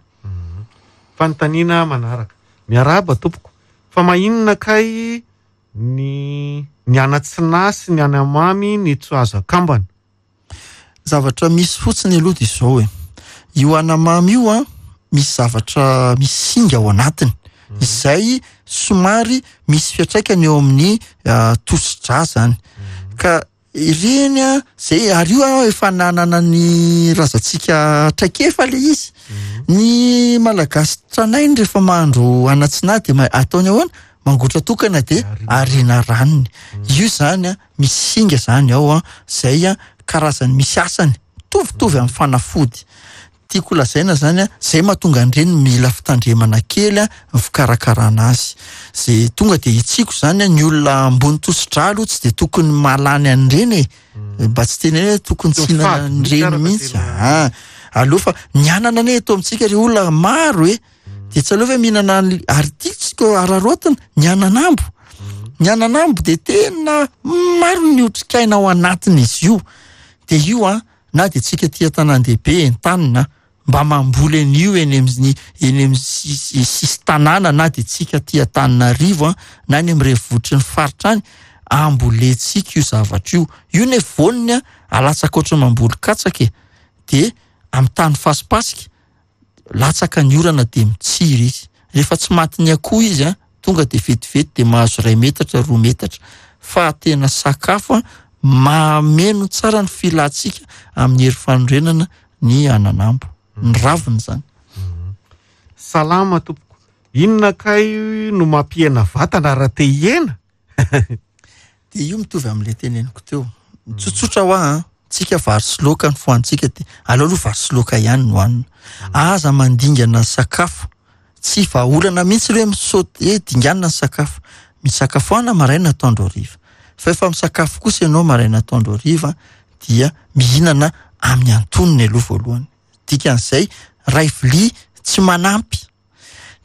Fanontaniana manaraka. Miarahaba tompoko. Fa maninona kay ny ny anatsinahy sy ny anamamy ny tsy azo akambana? Zavatra misy fotsiny aloha de izao e. Io anamamy io a misy zavatra misy singa ao anatiny izay somary misy fiantraikany eo amin'ny tosi-drà zany. Ka ireny a zay ary io a efa nanana ny razantsika traikefa le izy. Ny Malagasy tranainy rehefa mahandro anatsinahy de ataony ahoana? Mangotra tokana de ariana ranony. Io zany a misy singa zany ao a zay a karazany misy asany mitovitovy amin'ny fanafody. Tiako lazaina zany a zay mahatonga an'ireny mila fitandremana kely a ny fikarakarana azy. Zay tonga de hitsiko zany a ny olona ambony tosi-drà aloha tsy de tokony mahalany an'ireny e. Mba tsy tena hoe tokony tsy hihinana an'ireny mihitsy. Ah, aleo fa ny anana anie eto amintsika ry olona maro e. De tsy aleo ve mihinana ary tiantsika araraotina ny ananambo. Ny ananambo de tena maro ny otrikaina ao anatin'izy io. De io a na de tsika tia tanàn-dehibe entanina mba mamboly an'io eny amin'ny eny amin'ny sisin-tanàna na de tsika tia Antananarivo a na any amin'ny renivohitry ny faritra any ambolentsika io zavatra io. Io ne voaniny a alatsaka ohatry ny mamboly katsaka e. De amin'ny tany fasipasika latsaka ny orana de mitsiry izy. Rehefa tsy matin'ny akoho izy a tonga de vetivety de mahazo iray metatra roa metatra. Fa tena sakafo a mameno tsara ny filantsika amin'ny hery fanorenana ny ananambo, ny raviny zany. Salama tompoko. Inona kay no mampihena vatana raha te hihena? De io mitovy amin'ilay teneniko teo. Tsotsotra hoa a, tsika vary sy laoka ny fohanintsika de aleo aloha vary sy laoka ihany no hohanina. Aza mandingana sakafo. Tsy vahaolana mihitsy hoe misaoty hoe dinganina ny sakafo. Misakafoana maraina atoandro hariva. Fa efa misakafo kosa ianao maraina atoandro hariva dia mihinana amin'ny antonony aloha voalohany. Dikan'izay ray vilia tsy manampy.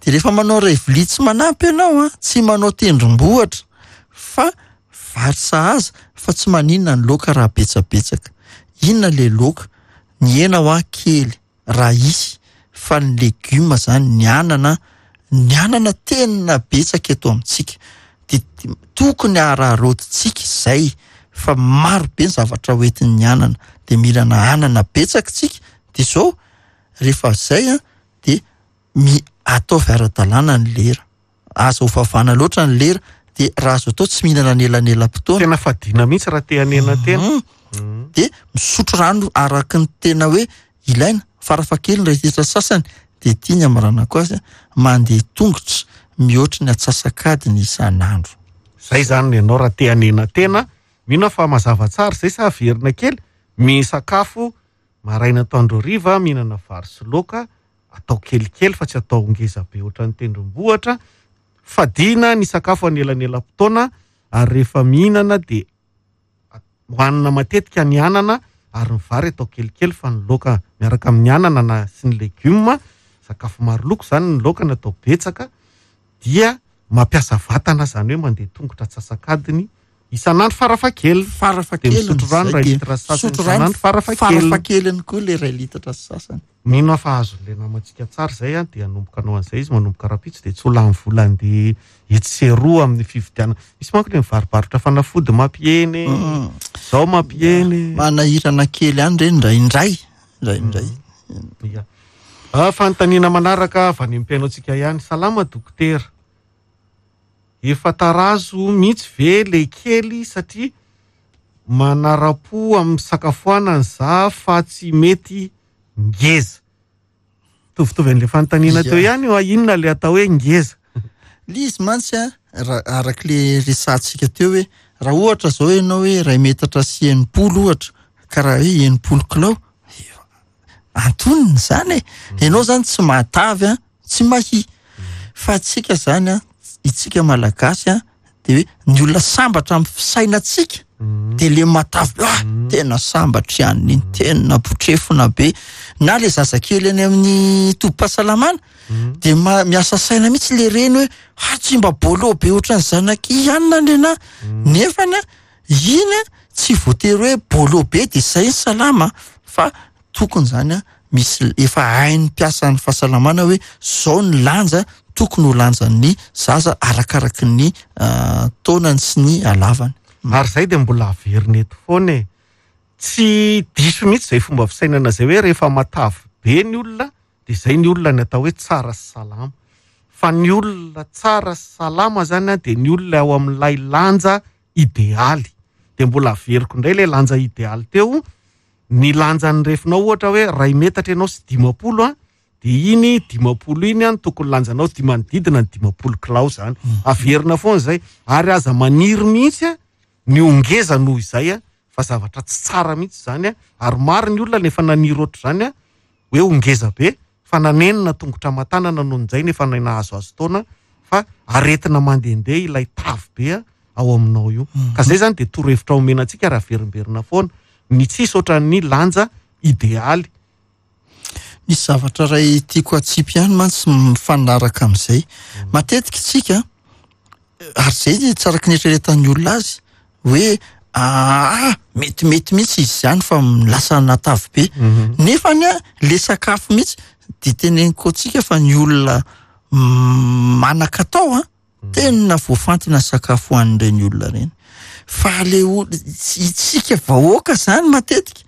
De rehefa manao ray vilia tsy manampy ianao a, tsy manao tendrombohitra fa vary sahaza fa tsy maninona ny laoka raha betsabetsaka. Inona le laoka? Ny hena hoa kely raha hisy fa ny legioma zany, ny anana, ny anana tena betsaka eto amintsika. De tokony araraotintsika izay fa maro be ny zavatra hoentin'ny anana. De mihinana anana betsaka tsika. De zao rehefa zay a de mi ataovy ara-dalàna ny lera. Aza ho favana loatra ny lera. De raha azo atao tsy mihinana anelanelam-potoana. Tena fadiana mihitsy raha te hanena tena. De misotro rano araka ny tena hoe ilaina. Farafahakeliny raha hiditra sasany de tia ny amaranako azy mandeha tongotra mihoatra ny antsasak'adiny isan'andro. Zay zany ianao raha te hanena tena. Mino aho fa mazava tsara zay sa averina kely. Misakafo maraina atoandro hariva, mihinana vary sy laoka, atao kelikely fa tsy atao ngeza be ohatran'ny tendrombohitra. Fadiana ny sakafo anelanelam-potoana ary rehefa mihinana de hohanina matetika ny anana ary ny vary atao kelikely fa ny laoka miaraka amin'ny anana na sy ny legioma, sakafo maro loko zany ny laoka no atao betsaka dia mampiasa vatana zany hoe mandeha tongotra antsasak'adiny isan'andro farafahakeliny. Farafahakeliny De misotro rano iray zay, litra sasany misotro rano isan'andro farafahakeliny. Farafahakeliny koa le iray litatra sasany. Mino aho fa azon'ilay namantsika tsara izay a, dia hanomboka hanao an'izay izy manomboka rahampitso dia tsy ho lany vola andeha etsy sy eroa amin'ny fividianana. Misy manko ilay mivarobarotra fanafody mampihena e. Mm. Zao mampihena e. Manahirana kely ihany ireny indraindray. Indraindray. Ia. Ah, fanontaniana manaraka avy any amin'ny mpihaino antsika ihany. Salama dokotera. Efa tarazo mihitsy ve le kely satria manara-po amin'ny sakafoanana za fa tsy mety ngeza? Mitovitovy an'ilay fanontaniana teo ihany io, inona ilay atao hoe ngeza? Le izy mantsy a, raha arak'le resahantsika teo hoe raha ohatra zao ianao hoe iray metatra sy enimpolo ohatra, ka raha hoe enimpolo kilao, antonony zany e. Ianao zany tsy mahatavy a, tsy mahia. Fa tsika zany a, itsika malagasy a, de hoe ny olona sambatra amin'ny fisainantsika, de le matavy be, ah, tena sambatra ihany iny, tena botrefona be. Na le zazakely any amin'ny tobim-pahasalamana, de ma-, miasa saina mihitsy le reny hoe, ah, tsy mba bolo be ohatran'ny zanaky ihanina ny anahy. Nefany a, iny a, tsy voatery hoe bolo be de zay ny salama, fa tokony zany a, misy efa hain'ny mpiasan'ny fahasalamana hoe zao ny lanja tokony ho lanjan'ny zaza arakaraky ny, ah, taonany sy ny halavany. Ary zay de mbola averina eto foana e. Tsy diso mihitsy zay fomba fisainana zay hoe rehefa matavy be ny olona de zay ny olona ny atao hoe tsara sy salama. Fa ny olona tsara sy salama zany a, de ny olona ao amin'ilay lanja idealy. De mbola averiko indray ilay lanja idealy teo, ny lanjan'ny refinao ohatra hoe ray metatra ianao sy dimampolo a, de iny dimampolo iny a, ny tokony lanjanao di manodidina ny dimampolo kilao zany. Mm. Averina foana zay, ary aza maniry mihitsy a, ny ongeza noho izay a, fa zavatra tsy tsara mihitsy zany a. Ary maro ny olona nefa naniry ohatr'izany a, hoe ongeza be, fa nanenina tongotra aman-tanana noho izay nefa nahazo azo taona, fa aretina mandehandeha ilay tavy be a, ao aminao io. Mm. Ka zay zany de torohevitra omena antsika raha averimberina foana, ny tsisy ohatran'ny lanja idealy. Misy zavatra iray tiako atsipy ihany mantsy mifanaraka amin'izay. Mm. Matetika isika, ary zay ny tsy araka ny eritreretan'ny olona azy, hoe, ah, metimety mihitsy izy izany fa lasa natavy be. Mhm. Nefa ny a, le sakafo mihitsy, de teneniko antsika fa ny olona manan-katao a, Mhm. tena voafantina sakafo ho an'ireny olona ireny. Fa le ol-, itsika vahoaka zany matetika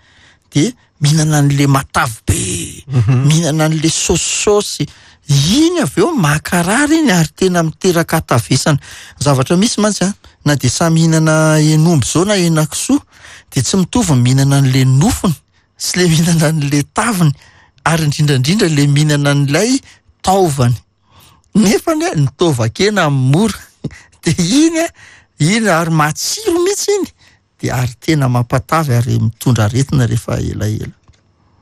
de mihinana an'le matavy be, Mhm. mihinana an'le saosisaosy, iny avy eo makarary iny ary tena miteraka hatavesana. Zavatra misy mantsy a, na de samy mihinana henomby zao na henakisoa, de tsy mitovy ny mihinana an'le nofony sy le mihinana an'le taviny, ary indrindra indrindra le mihinana an'ilay taovany. Nefa anie ny taovan-kena mora, de iny a, iny ary matsiro mihitsy iny, de ary tena mampatavy ary mitondra aretina rehefa elaela.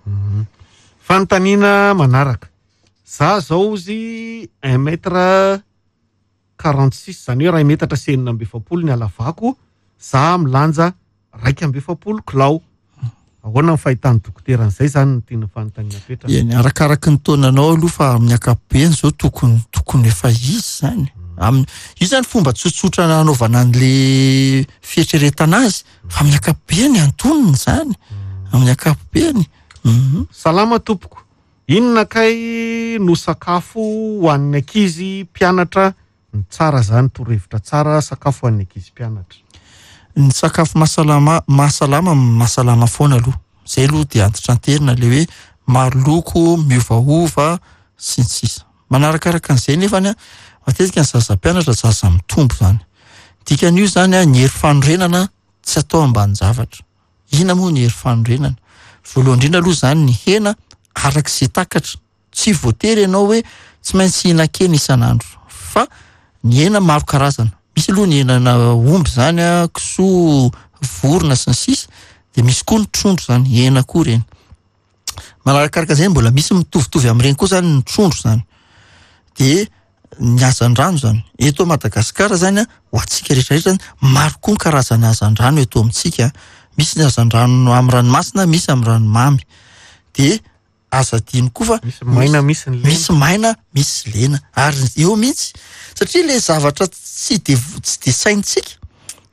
Mhm. Fanontaniana manaraka. Za zao izy un mètre quarante-six, zany hoe iray metatra sy enina amby efapolo ny halavako, za milanja raika amby efapolo kilao. Ahoana ny fahitan'ny dokotera an'izay zany no tiana fanontaniana apetraka? Eny, arakaraky ny taonanao aloha, fa amin'ny ankapobeny zao tokony, tokony efa izy zany. Am-, io zany fomba tsotsotra nanaovana an'le fieritreretana azy, fa amin'ny ankapobeny antonony zany. Amin'ny ankapobeny. Mhm. Salama tompoko. Inona kay no sakafo ho an'ny ankizy mpianatra? Ny tsara zany, torohevitra tsara sakafo ho an'ny ankizy mpianatra. Ny sakafo mahasalama, mahasalama, mahasalama foana aloha. Zay aloha dia antitranterina le hoe maro loko, miovaova sy ny sisa. Manarakaraka an'izay nefany a, matetika ny zaza mpianatra zaza mitombo zany. Dikan'io zany a, ny hery fanorenana tsy atao ambanin-javatra. Inona moa ny hery fanorenana? Voalohany indrindra aloha zany ny hena araka izay takatra. Tsy voatery ianao hoe tsy maintsy hihinan-kena isan'andro, fa ny hena maro karazana. Misy aloha ny henana omby zany a, kisoa, vorona sy ny sisa, de misy koa ny trondro zany, hena koa ireny. Manarakaraka izay mbola misy mitovitovy amin'ireny koa zany ny trondro zany. De ny hazandrano zany. Eto Madagasikara zany a, ho antsika rehetrarehetra zany, maro koa ny karazana hazandrano eto amintsika. Misy ny hazandrano amin'ny ranomasina, misy amin'ny ranomamy. De aza adino koa fa Misy maina, misy ny lena. Misy maina, misy lena. Ary eo mihitsy, satria le zavatra tsy de vo-, tsy de saintsika,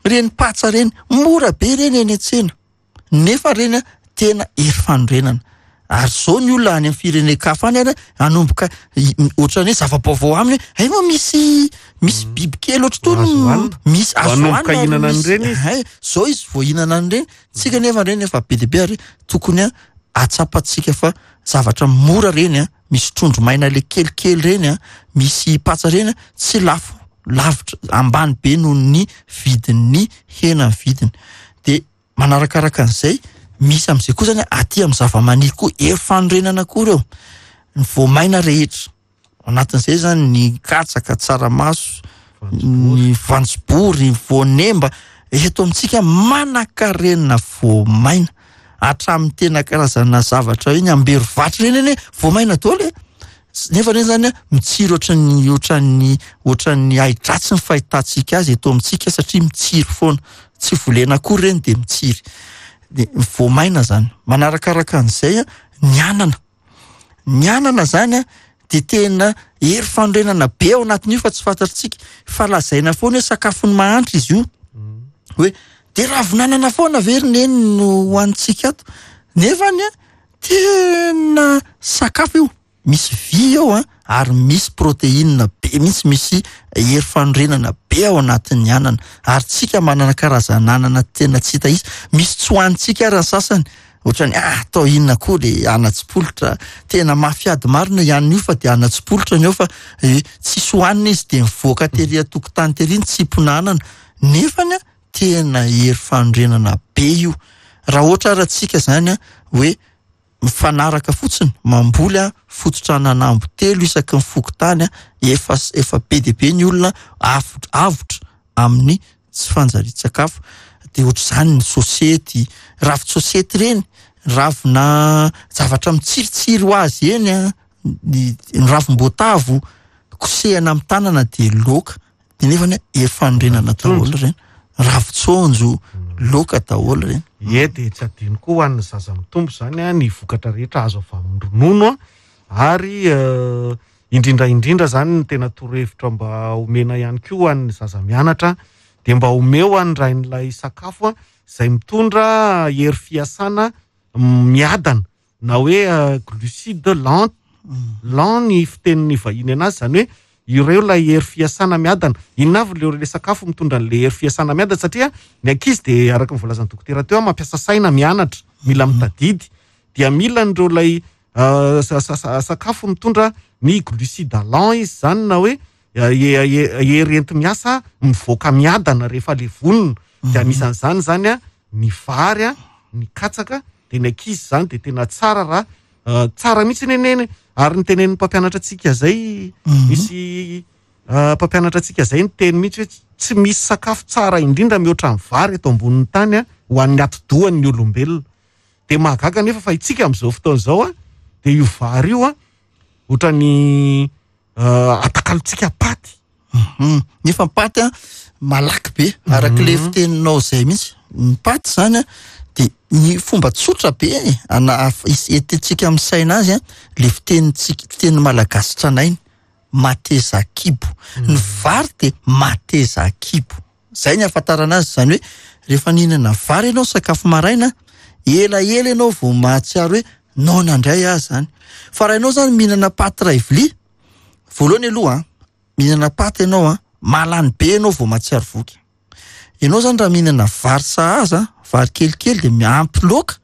reny patsa reny, mora be reny eny an-tsena. Nefa reny a, tena hery fanorenana. Ary zao ny olona any amin'ny firenen-kafa any ary hanomboka i-, m-, ohatran'ny hoe zava-baovao aminy hoe, hay moa misy, misy Mm. biby kely ohatry tony Azo hohanina. misy azo Hanomboka hohanina ary hihinana misy an'ireny izy. Hay, zao izy vao hihinana an'ireny. Tsika nefa ireny efa be dia be ary tokony a, atsapantsika fa zavatra mora reny a, misy trondro maina le kelikely reny a, misy patsa reny a, tsy lafo lavitra ambany be noho ny vidin'ny hena ny vidiny. De manarakaraka an'izay Misy am'izay koa zany aty amin'ny zava-maniry koa hery fanorenana koa reo, ny voamaina rehetra anatin'izay zany, ny katsaka, tsaramaso, ny voanjobory, ny voanemba. Eto amintsika manan-karena voamaina hatramin'ny tena karazana zavatra iny amberovatry reny eny voamaina daholo e. Nefa reny zany a mitsiry ohatran'ny ohatran'ny ohatran'ny ahidratsy ny fahitantsika azy eto amintsika, satria mitsiry foana, tsy volena akory reny de mitsiry. De voamaina zany. Manarakaraka an'izay a ny anana, ny anana zany a de tena hery fanorenana be ao anatin'io, fa tsy fantatritsika fa lazaina foana hoe sakafon'ny mahantra izy io, hoe de ravin'anana foana ve ry neny no hohanintsika ato, nefany a tena sakafo io, misy vy eo a ary misy protéine be mihitsy, misy hery fanorenana be ao anatin'ny anana. Ary tsika manana karazana anana tena tsy hita izy, misy tsy hohanintsika ary ny sasany, ohatrany ah atao inona koa le anatsipolitra, tena mafy ady marina ihany io, fa de anatsipolitra ny eo, fa eh, tsisy hohanina izy de mivoaka tery an-tokotany tery ny tsipona anana, nefany a tena hery fanorenana be io. Raha ohatra ara tsika zany a hoe mifanaraka fotsiny mamboly a fototra ananambo telo isaky ny fokontany a, efa efa be dia be ny olona avotra avotra amin'ny tsy fanjarian-tsakafo. De ohatr'izany ny sosety, ravin-tsosety reny, ravina zavatra mitsiritsiry ho azy eny a, ny ny ravim-boatavo kosehana amin'ny tanana de laoka, de nefany hery fanorenana daholo reny, ravin-tsonjo laoka daholo reny. Ie, de tsy adino koa ho an'ny zaza mitombo zany a ny vokatra rehetra azo avy amin'ny ronono a, ary eh, indrindra indrindra zany ny tena torohevitra mba omena ihany koa ho an'ny zaza mianatra, de mba omeo an'ny rain'ilay sakafo a zay mitondra hery fiasana miadana, na hoe eh, glucide lent, lent ny fitenin'ny vahiny anazy, zany hoe ireo ilay hery fiasana miadana. Inona avy le le sakafo mitondra an'le hery fiasana miadana? Satria ny ankizy de araka ny voalazan'ny dokotera teo a mampiasa saina mianatra, mila mitadidy, dia mila an'ireo lay uh, sa- sa- sa- sakafo mitondra ny glucide lent izy zany, na hoe hery enti-miasa mivoaka miadana rehefa le vonona. De anisan'izany zany a ny vary a, ny katsaka. De ny ankizy zany de tena tsara raha uh, tsara mihitsy neneny, ary ny tenenin'ny mpampianatra antsika zay, misy uh, mpampianatra antsika zay ny teny mihitsy hoe tsy misy sakafo tsara indrindra mihoatra ny vary eto ambonin'ny tany a ho an'ny atidohan'ny olombelona. De mahagaga nefa fa itsika am'izao fotoana izao a de io vary io a ohatrany uh, atakalontsika paty. Mhm. Nefa ny paty a malaky be, araka le fiteninao zay mihitsy. Ny paty zany a de ny fomba tsotra be e, ana af- is- entintsika amin'ny saina azy a, le fitenintsika, fiteny malagasy tranainy, mateza kibo. Ny vary de mateza kibo, zay ny ahafantarana azy. Zany hoe rehefa nihinana vary ianao sakafo maraina, elaela ianao vao mahatsiaro hoe noana indray aho zany. Fa raha ianao zany mihinana paty ray vilia voalohany aloha a, mihinana paty ianao a mahalany be ianao vao mahatsiaro voky. Ianao zany raha mihinana vary sahaza, vary kelikely de miampy laoka,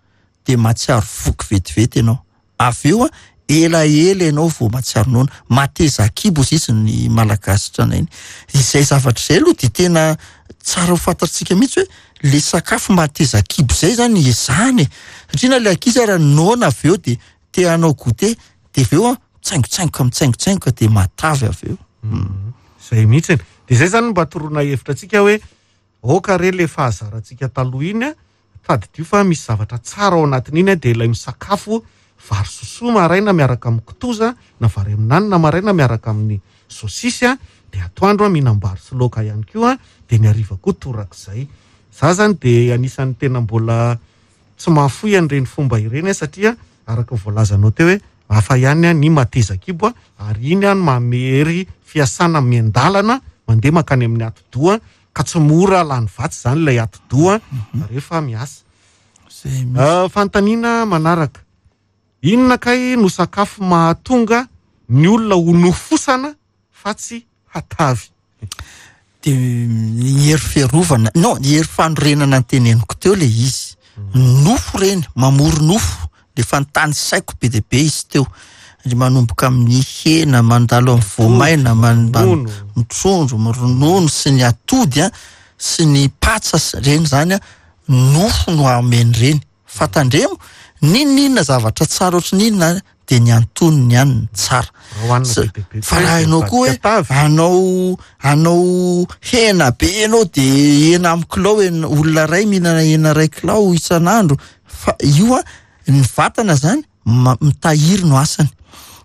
de mahatsiaro voky vetivety ianao, avy eo a elaela ianao vao mahatsiaro noana. Mateza kibo izy izy ny malagasy tranainy. Izay zavatra izay aloha de tena tsara ho fantatsika mihitsy hoe le sakafo mateza kibo zay zany ezahana e, satria na le ankizy ara noana avy eo de te hanao goûter, de avy eo a mitsaingotsaingoka mitsaingotsaingoka de matavy avy eo. Zay mihitsy. De zay zany mba toroana hevitra antsika hoe oka re le fahazarantsika taloha iny a, tadidio fa misy zavatra tsara ao anatin'iny a, de ilay misakafo vary sosoa maraina miaraka amin'ny kitoza, na vary amin'anana maraina miaraka amin'ny sosisy a, de atoandro a mihinam-bary sy laoka ihany koa, de ny hariva koa torak'izay. Za zany de anisan'ny tena mbola tsy mahafoy an'ireny fomba ireny a, satria araka ny voalazanao teo hoe hafa ihany a ny mateza kibo a, ary iny a no manome hery fiasana miandalana mandeha mankany amin'ny atidoha, ka tsy mora lany vatsy zany ilay atidoha rehefa miasa. Zay mihitsy. Uh, fanontaniana manaraka, inona kay no sakafo mahatonga ny olona ho nofosana fa tsy hatavy? De ny hery fiarovana, non, ny hery fanorenana ny teneniko teo le izy, nofo reny mamory nofo, le fanontany saiko be dia be izy teo, ry manomboka amin'ny hena, mandalo amin'ny voamaina, man- man- Ronono. ny trondro, ny ronono sy ny atody a sy ny patsa sy reny zany a, nofo no ameny reny. Fa tandremo, n'inon'inona zavatra tsara ohatry ny inona de ny antonony ihany ny tsara. Raha hohanina Sa- be dia be Fa koa raha izy ianao koa hoe mivadika tavy. anao anao hena be ianao de hena amin'ny kilao hena- olona iray mihinana hena iray kilao isan'andro, fa io a ny vatana zany ma- mitahiry no asany.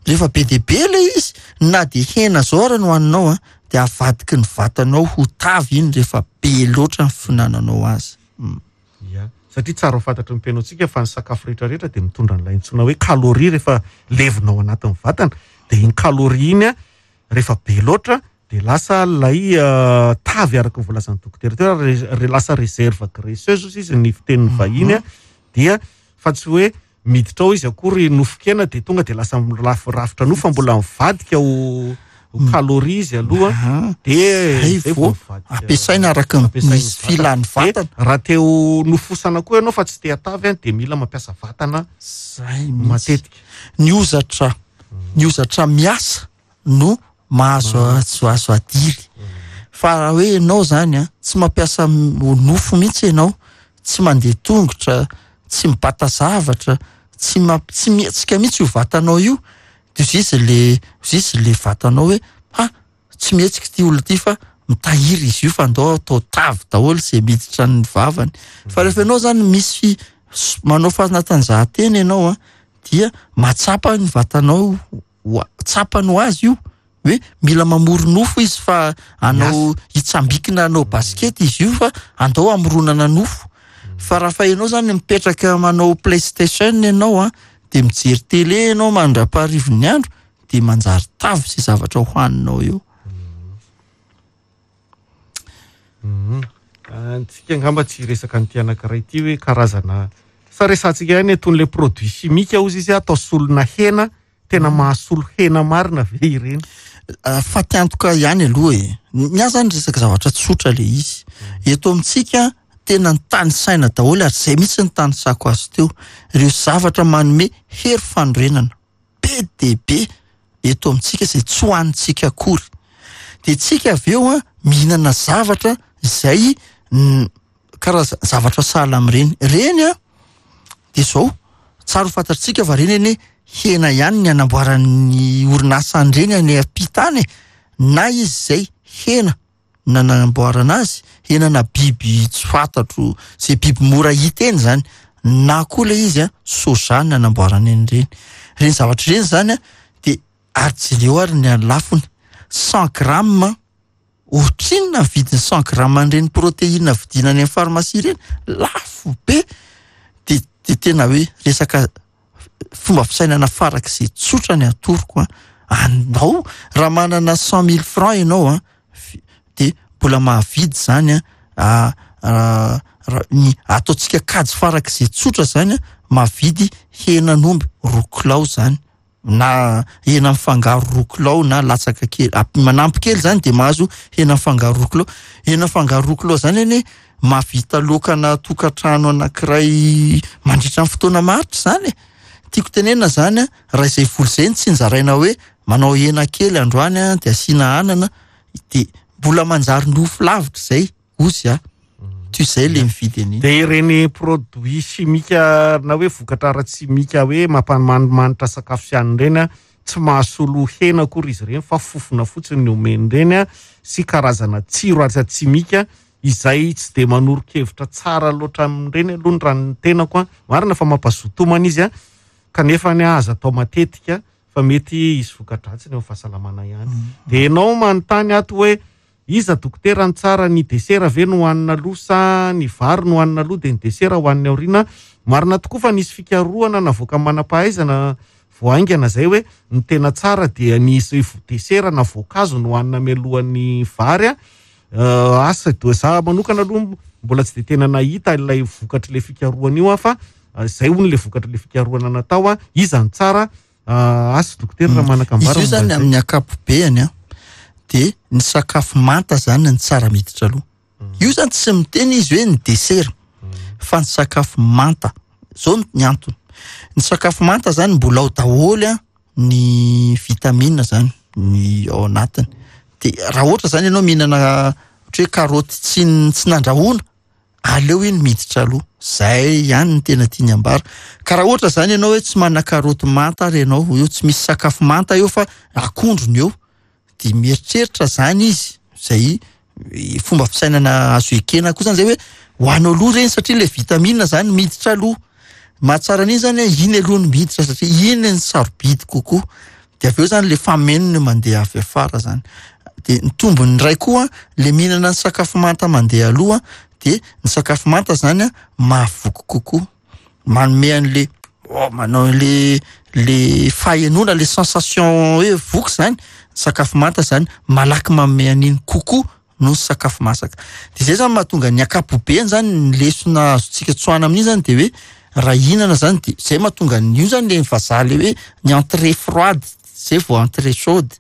Rehefa be dia be ilay izy, na de hena zao ara no hohaninao a, de avadiky ny vatanao ho tavy iny rehefa be loatra ny fihinananao azy. Mm. Ya, satria tsara ho fantatry ny mpihainoantsika fa ny sakafo rehetrarehetra dia mitondra an'ilay antsoina hoe kaloria rehefa levona ao anatin'ny vatana. Dia iny kaloria iny a, rehefa be loatra dia lasa ilay, eh, tavy araka ny voalazan'ny dokotera teo, re-, re-, lasa réserve graisseuse ozy izy ny fitenin'ny vahiny a, dia fa tsy hoe miditra ao izy akory nofon-kena dia tonga dia lasa milafy rafitra nofo fa mbola mivadika ho, ho Mm. kaloria izy aloha. Aha. Dia Zay zay vao vao mivadika. ampiasaina araka ny Ampiasaina misy vatana. filan'ny Dia vatana. raha te ho nofosana koa ianao fa tsy te hatavy a, dia mila mampiasa vatana Zay mihitsy. matetika. Ny hozatra, ny hozatra miasa no mahazo azo, azo adiry. Fa raha hoe ianao zany a, tsy mampiasa m-, nofo mihitsy ianao, tsy mandeha tongotra, tsy mibata zavatra, tsy mamp-, tsy mihetsika mihitsy io vatanao io, de hoy izy le, hoy izy le vatanao hoe, ha, tsy mihetsika ity olona ity fa mitahiry izy io fa andao atao tavy daholo izay miditra ny vavany. Fa rehefa ianao zany misy s-, manao fanatanjahantena ianao a, dia mahatsapa ny vatanao ho a-, tsapany ho azy io hoe mila mamory nofo izy fa anao Miasa. hitsambikina hanao basikety izy io fa andao hamoronana nofo. Fa raha fa ianao zany mipetraka manao PlayStation ianao a, de mijery télé ianao mandra-paharivin'ny andro, de manjary tavy izay zavatra hohaninao eo. Mhm. Antsika angamba tsy hiresaka an'ity anankiray ity hoe karazana sa resantsika ihany itony le produit chimique hozy izy atao solona hena, tena mahasolo hena marina ve ireny? Ah, fatiantoka ihany aloha e. Ny ahy zany resaka zavatra tsotra le izy. Eto amintsika tena ny tany saina daholo ary izay mihitsy ny tany sako azy teo. Ireo zavatra manome hery fanorenana be dia be eto amintsika izay tsy hohanintsika akory. Dia tsika avy eo a, mihinana zavatra izay, mm, karaza-, zavatra sahala amin'ireny. Ireny a, dia izao, tsara ho fantatsika fa ireny anie hena ihany ny anamboaran'ny orinasa an'ireny any ampita any e. Na izy izay hena nanamboarana azy, hena na biby tsy fantatro, izay biby mora hita eny zany, na koa ilay izy a, soja ny nanamboarana an'ireny. Ireny zavatra ireny zany a, dia ary jereo ary ny lafony. Cent grammes, ohatrinona ny vidin'ny cent grammes an'ireny protéine vidiana any amin'ny pharmacie ireny? Lafo be. Dia, dia tena hoe resaka fomba fisainana farak'izay tsotra ny atoroko a. Andao, raha manana cent mille francs ianao a, fi-, dia mbola mahavidy zany a, a, a, ra-, ny ataontsika kajy farak'izay tsotra zany a, mahavidy henan'omby roa kilao zany, na hena mifangaro roa kilao na latsaka kely, ap-, manampy kely zany dia mahazo hena mifangaro roa kilao. Hena mifangaro roa kilao zany anie mahavita laokana tokantrano anankiray mandritra ny fotoana maharitra zany e. Tiako tenenina zany a, raha izay vola izay no tsinjaraina hoe manao hena kely androany a, dia asiana anana, dia mbola manjary nofo lavitra izay, ozy a. Toy izay le mividy an'iny. Dia ireny produit chimique na hoe vokatra ara-tsimika hoe mampamanimanitra sakafo sy hanina ireny a, tsy mahasolo hena akory izy ireny fa fofona fotsiny ny omeny ireny a, sy karazana tsiro ara-tsimika izay tsy dia manoro-kevitra tsara loatra amin'ireny aloha ny raha ny tenako a. Marina fa mampazotomana izy a, kanefa ny aza atao matetika fa mety hisy voka-dratsiny eo amin'ny fahasalamana ihany. Mm. Dia ianao manontany ato hoe iza dokotera ny tsara, ny desera ve no hohanina aloha sa ny vary no hohanina aloha dia ny desera hohanina aoriana? Marina tokoa fa nisy fikarohana navoaka manam-pahaizana vao haingana izay hoe ny tena tsara dia ny desera na voankazo no hohanina mialohan'ny vary a. Euh, asa do za manokana aloha mbola tsy de tena nahita ilay vokatr'ilay fikarohana io aho, fa izay hono ilay vokatr'ilay fikarohana natao a, iza ny tsara? Euh, asa dokotera raha Mm. manakambara Izy io zany momba izay. amin'ny ankapobeny a, de ny sakafo manta zany ny tsara miditra aloha. Mm. Io zany tsy miteny izy hoe ny desera, Mm. fa ny sakafo manta. Zao ny antony. Ny sakafo manta zany mbola ao daholo a, ny vitamine zany ny ao anatiny. De raha ohatra zany ianao mihinana ohatra hoe karaoty tsy n-, tsy nandrahoana, Aleo iny miditra aloha, zay ihany ny tena tiany ambara. Ka raha ohatra zany ianao hoe tsy manana karaoty manta ary ianao eo, tsy misy sakafo manta eo fa akondro ny eo, de mieritreritra zany izy, zay fomba fisainana azo ekena koa zany zay, hoe hoanao aloha reny satria le vitamine zany miditra aloha. Mahatsara an'iny zany hoe iny aloha no miditra satria iny ny sarobidy kokoa, de avy eo zany le famenony mandeha avy afara zany. De ny tombony iray koa le mihinana ny sakafo manta mandeha aloha, de ny sakafo manta zany a mahavoky kokoa, manome an'le oh, manao le le fahenoana, le sensation hoe voky zany. Sakafo manta zany malaky manome an'iny kokoa noho ny sakafo masaka. De zay zany mahatonga ny ankapobeny zany, ny lesona azontsika tsoahana amin'iny zany de hoe raha hihinana zany, de zay mahatonga an'io zany le vazaha le hoe ny entrée froide zay vao entrée chaude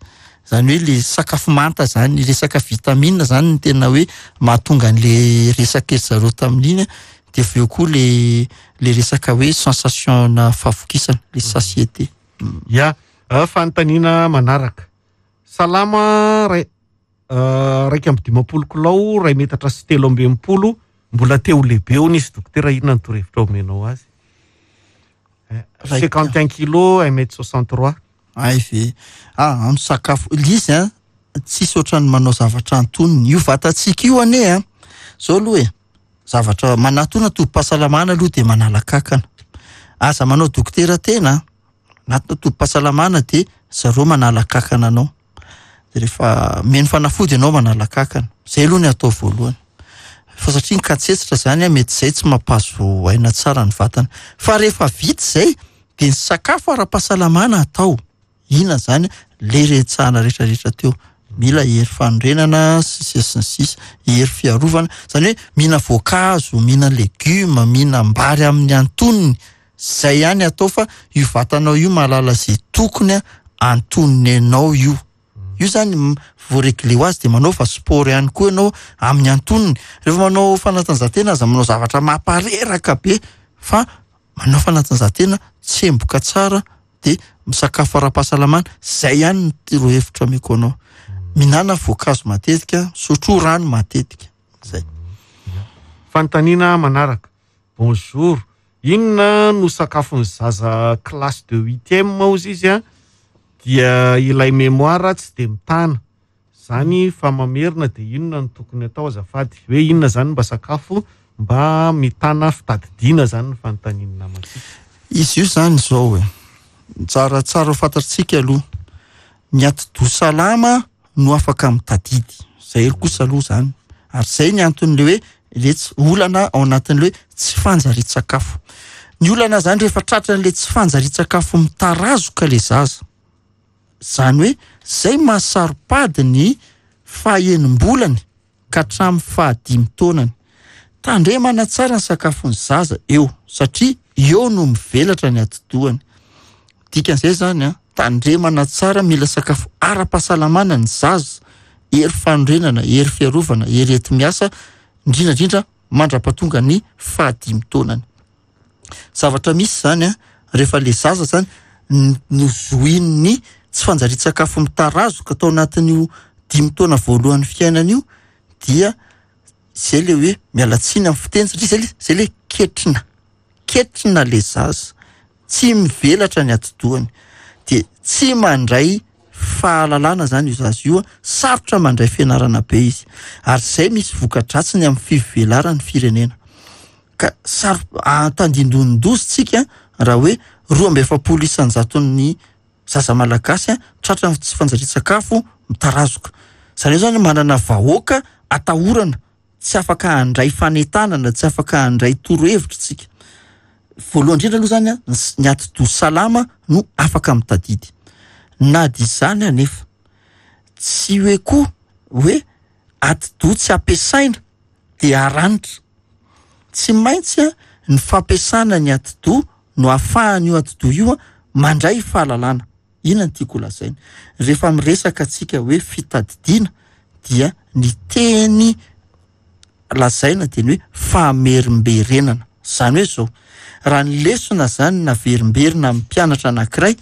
zany, hoe le sakafo manta zany, resaka vitamine zany ny tena hoe mahatonga an'le resaka zareo tamin'iny. De avy eo koa le le resaka hoe sensation na fahavokisana, le satiété. Ya, fanontaniana manaraka. Salama, ray raika amby dimampolo kilao, ray metatra sy telo amby enimpolo, mbola te ho lehibe hono izy. Dokotera, inona ny torohevitra omenao azy? Cinquante un kilo, un mètre soixante trois. Ay ve, ah, amy sakafo lizy a, tsisy ohatrany manao zavatra antonony io vatantsika io ane a. Zao aloha e, zavatra manatona tobi-pahasalamana aloha de manala kakana. Aza manao dokotera tena, anatina tobi-pahasalamana de zareo manala kakana anao, de rehefa meno fanafody ianao manala kakana. Zay aloha ny atao voalohany, fa satria ny katsetsitra zany a, mety zay tsy mampahazo aina tsara ny vatana. Fa rehefa vita zay de ny sakafo ara-pahasalamana atao inona zany, le retsahana rehetrarehetra teo, mila hery fanorenana sy sisa sy ny sisa, hery fiarovana zany, hoe mihina voankazo, mihina legioma, mihinam-bary amin'ny antonony, zay ihany atao. Fa io vatanao io mahalala zay tokony a antonony anao io. Io zany voaregle ho azy. De manao fa sport ihany koa ianao amin'ny antonony. Rehefa manao fanatanjahantena, aza manao zavatra mampareraka be, fa manao fanatanjahantena tsemboka tsara, de misakafo ara-pahasalamana. Zay ihany ny torohevitra ameko anao: mihinana voankazo matetika, sotro rano matetika, zay. Fanontaniana manaraka. Bonjour, inona no sakafon'ny zaza classe de huitième ozy izy a, dia ilay mémoire tsy de mitana zany fa mamerina, de inona no tokony atao azafady? Hoe inona zany mba sakafo mba mitana fitadidiana zany ny fanontaniana namantsika. Izy io zany zao e, tsara tsara ho fantatsika aloha, ny atidoha salama no afaka mitadidy. Zay elo kosa aloha zany, ary zay ny anton'le hoe le tsy olana ao anatin'le hoe tsy fanjari-tsakafo. Ny olana zany rehefa tratran'le tsy fanjari-tsakafo mitarazoka le zaza zany, hoe zay mahasaro-pady ny fahaenim-bolany ka hatramin'ny fahadimy taonany. Tandremana tsara ny sakafon'ny zaza eo, satria eo no mivelatra ny atidohany. Dikan'izay zany a, tandremana tsara, mila sakafo ara-pahasalamana ny zaza, hery fanorenana, hery fiarovana, hery enti-miasa, indrindrandrindra mandra-pahatonga ny fahadimy taonany. Zavatra misy zany a, rehefa le zaza zany nozoin'ny tsy fanjari-tsakafo mitarazoka atao anatin'io dimy taona voalohan'ny fiainana io, dia zay le hoe, mialatsiny amin'ny fiteny, satria zay le zay le ketrina ketrina le zaza, tsy mivelatra ny atidohany, de tsy mandray fahalalana zany io zaza io a, sarotra mandray fianarana be izy, ary zay misy voka-dratsiny amin'ny fivelaran'ny firenena. Ka saro tandindonin-doza tsika raha hoe roa amby efapolo isan-jaton'ny zaza malagasy a tratra ny tsy fanjari-tsakafo mitarazoka. Zany hoe zany manana vahoaka atahorana, tsy afaka handray fanentanana, tsy afaka handray torohevitra tsika. Voalohany indrindra aloha zany a, ny atidoha salama no afaka mitadidy. Na de izany anefa, tsy hoe koa hoe atidoha tsy ampiasaina de aranitra. Tsy maintsy a ny fampiasana ny atidoha no ahafahany io atidoha io a mandray fahalalana. Inona ny tiako lazaina? Rehefa miresaka atsika hoe fitadidiana, dia ny teny lazaina de ny hoe famerimberenana. Zany hoe zao, raha ny lesona zany naverimberina amin'ny mpianatra anankiray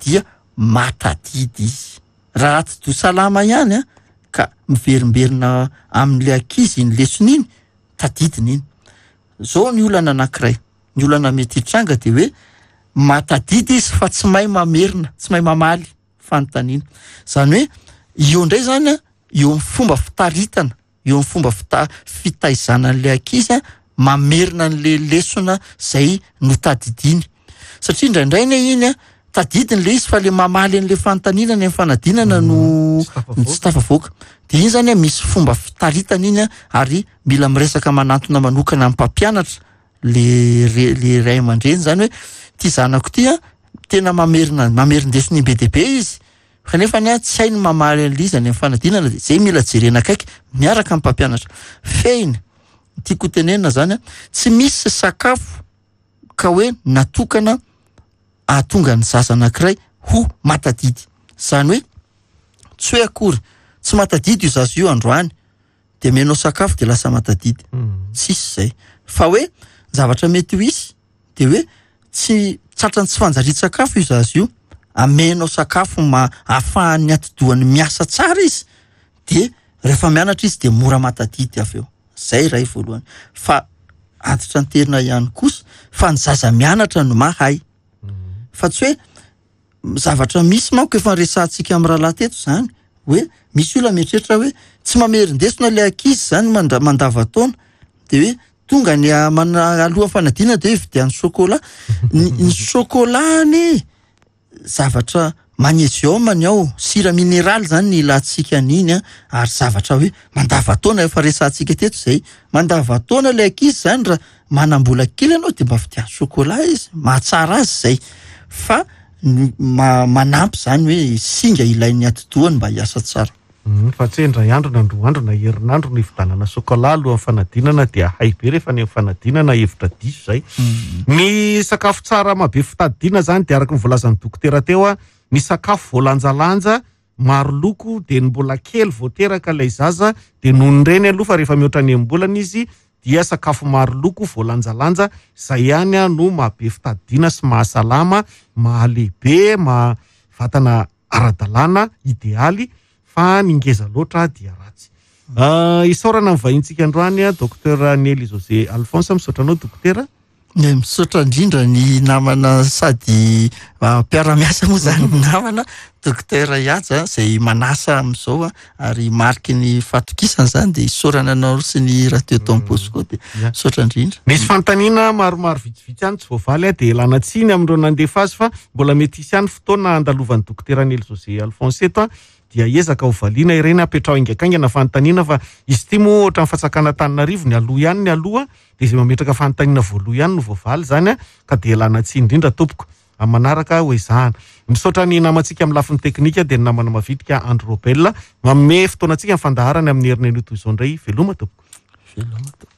dia matadidy izy. Raha atidoha salama ihany a ka miverimberina amin'le ankizy iny lesona iny, tadidiny iny. Zao ny olana anankiray, ny olana mety hitranga de hoe matadidy izy fa tsy mahay mamerina, tsy mahay mamaly fanontaniana. Zany hoe eo indray zany a, eo amin'ny fomba fitaritana, eo amin'ny fomba fita- fitaizana an'le ankizy a, mamerina an'le lesona zay notadidiny. Satria indraindray ne iny a, tadidiny le izy fa le mamaly an'le fanontaniana ny amin'ny fanadinana no Tsy tafavoaka. tsy tafavoaka. De iny zany a misy fomba fitaritana iny a, ary mila miresaka manantona manokana amin'ny mpampianatra le re- le ray aman-dreny zany hoe ty zanako ty a tena mamerina mamerin-desona imbe dehibe izy, kanefa ny a tsy hainy mamaly an'le izy any amin'ny fanadinana, de zay mila jerena akaiky miaraka amin'ny mpampianatra. Fehiny tiako tenenina zany a, tsy misy sakafo ka hoe natokana ahatonga ny zaza anankiray ho matadidy. Zany hoe tsy hoe akory tsy matadidy io zaza io androany de omenao sakafo de lasa matadidy. Tsisy zay. Fa hoe zavatra mety ho hisy de hoe tsy tratran'ny tsy fanjarian-tsakafo io zaza io, amenao sakafo ma ahafahan'ny atidohany miasa tsara izy, de rehefa mianatra izy de mora matadidy avy eo. Zay ray voalohany. Fa antitra anterina ihany kosa fa ny zaza mianatra no mahay. Fa tsy hoe zavatra misy manko efa resahantsika amin'ny rahalahy teto zany, hoe misy olona mieritreritra hoe tsy mamerin-desona le ankizy zany manda-, mandava-taona, de hoe tonga ny a-, mana-, alohan'ny fanadinana de hoe vidian'ny chocolat. Ny, ny chocolat anie zavatra magnésium ny ao, sira mineraly zany ny ilantsika an'iny a, ary zavatra hoe mandava-taona efa resahantsika teto zay. Mandava-taona le ankizy zany raha manam-bola kely ianao de mba vidian'ny chocolat izy, mahatsara azy zay. Fa ny ma-, manampy zany hoe singa ilain'ny atidohany mba hiasa tsara. Mm, fa tsy hoe indray andro na roa andro na herinandro no hividianana chocolat alohan'ny fanadinana dia hay be rehefa ny fanadinana, hevitra diso zay. Mm. Ny sakafo tsara mahabe fitadidiana zany de araka ny voalazan'ny dokotera teo a, ny sakafo voalanjalanja maro loko, de ny mbola kely vao teraka ilay zaza de noho ny reny aloha, fa rehefa mihoatra ny enim-bolana izy dia sakafo maro loko voalanjalanja zay ihany a no mahabe fitadidiana sy mahasalama, mahalehibe, mahavatana ara-dalàna idealy, fa ny ngeza loatra dia ratsy. Ah, isaorana ny vahintsika androany a, docteur Nely José Alphonse, misaotra anao dokotera. Ne, misaotra indrindra ny namana sady, ah, mpiara-miasa moa zany ny namana docteur Ihaja zay manasa amin'izao a, ary mariky ny fahatokisana zany de isaorana anao sy ny radio Don Bosco de Ya. misaotra indrindra. Misy fanontaniana maromaro vitsivitsy ihany tsy voavaly a, de ilana tsiny amin'ireo nandefa azy fa mbola mety hisy ihany fotoana andalovan'ny dokotera Nely José Alphonse eto a, dia ezaka ho valiana ireny, apetrao haingankaingana fanontaniana fa izy ity moa ohatran'ny fantsakana Antananarivo, ny aloha ihany ny aloha, de izay mametraka fanontaniana voalohany ihany no voavaly zany a, ka de ilana tsiny indrindra tompoko. Amin'ny manaraka ho ezahana. Misaotra ny namantsika amin'ny lafiny teknika dia ny namana mavitrika Andro Robel, manome fotoanantsika ny fandaharana amin'ny herinandro toy izao indray. Veloma tompoko. Veloma tompoko.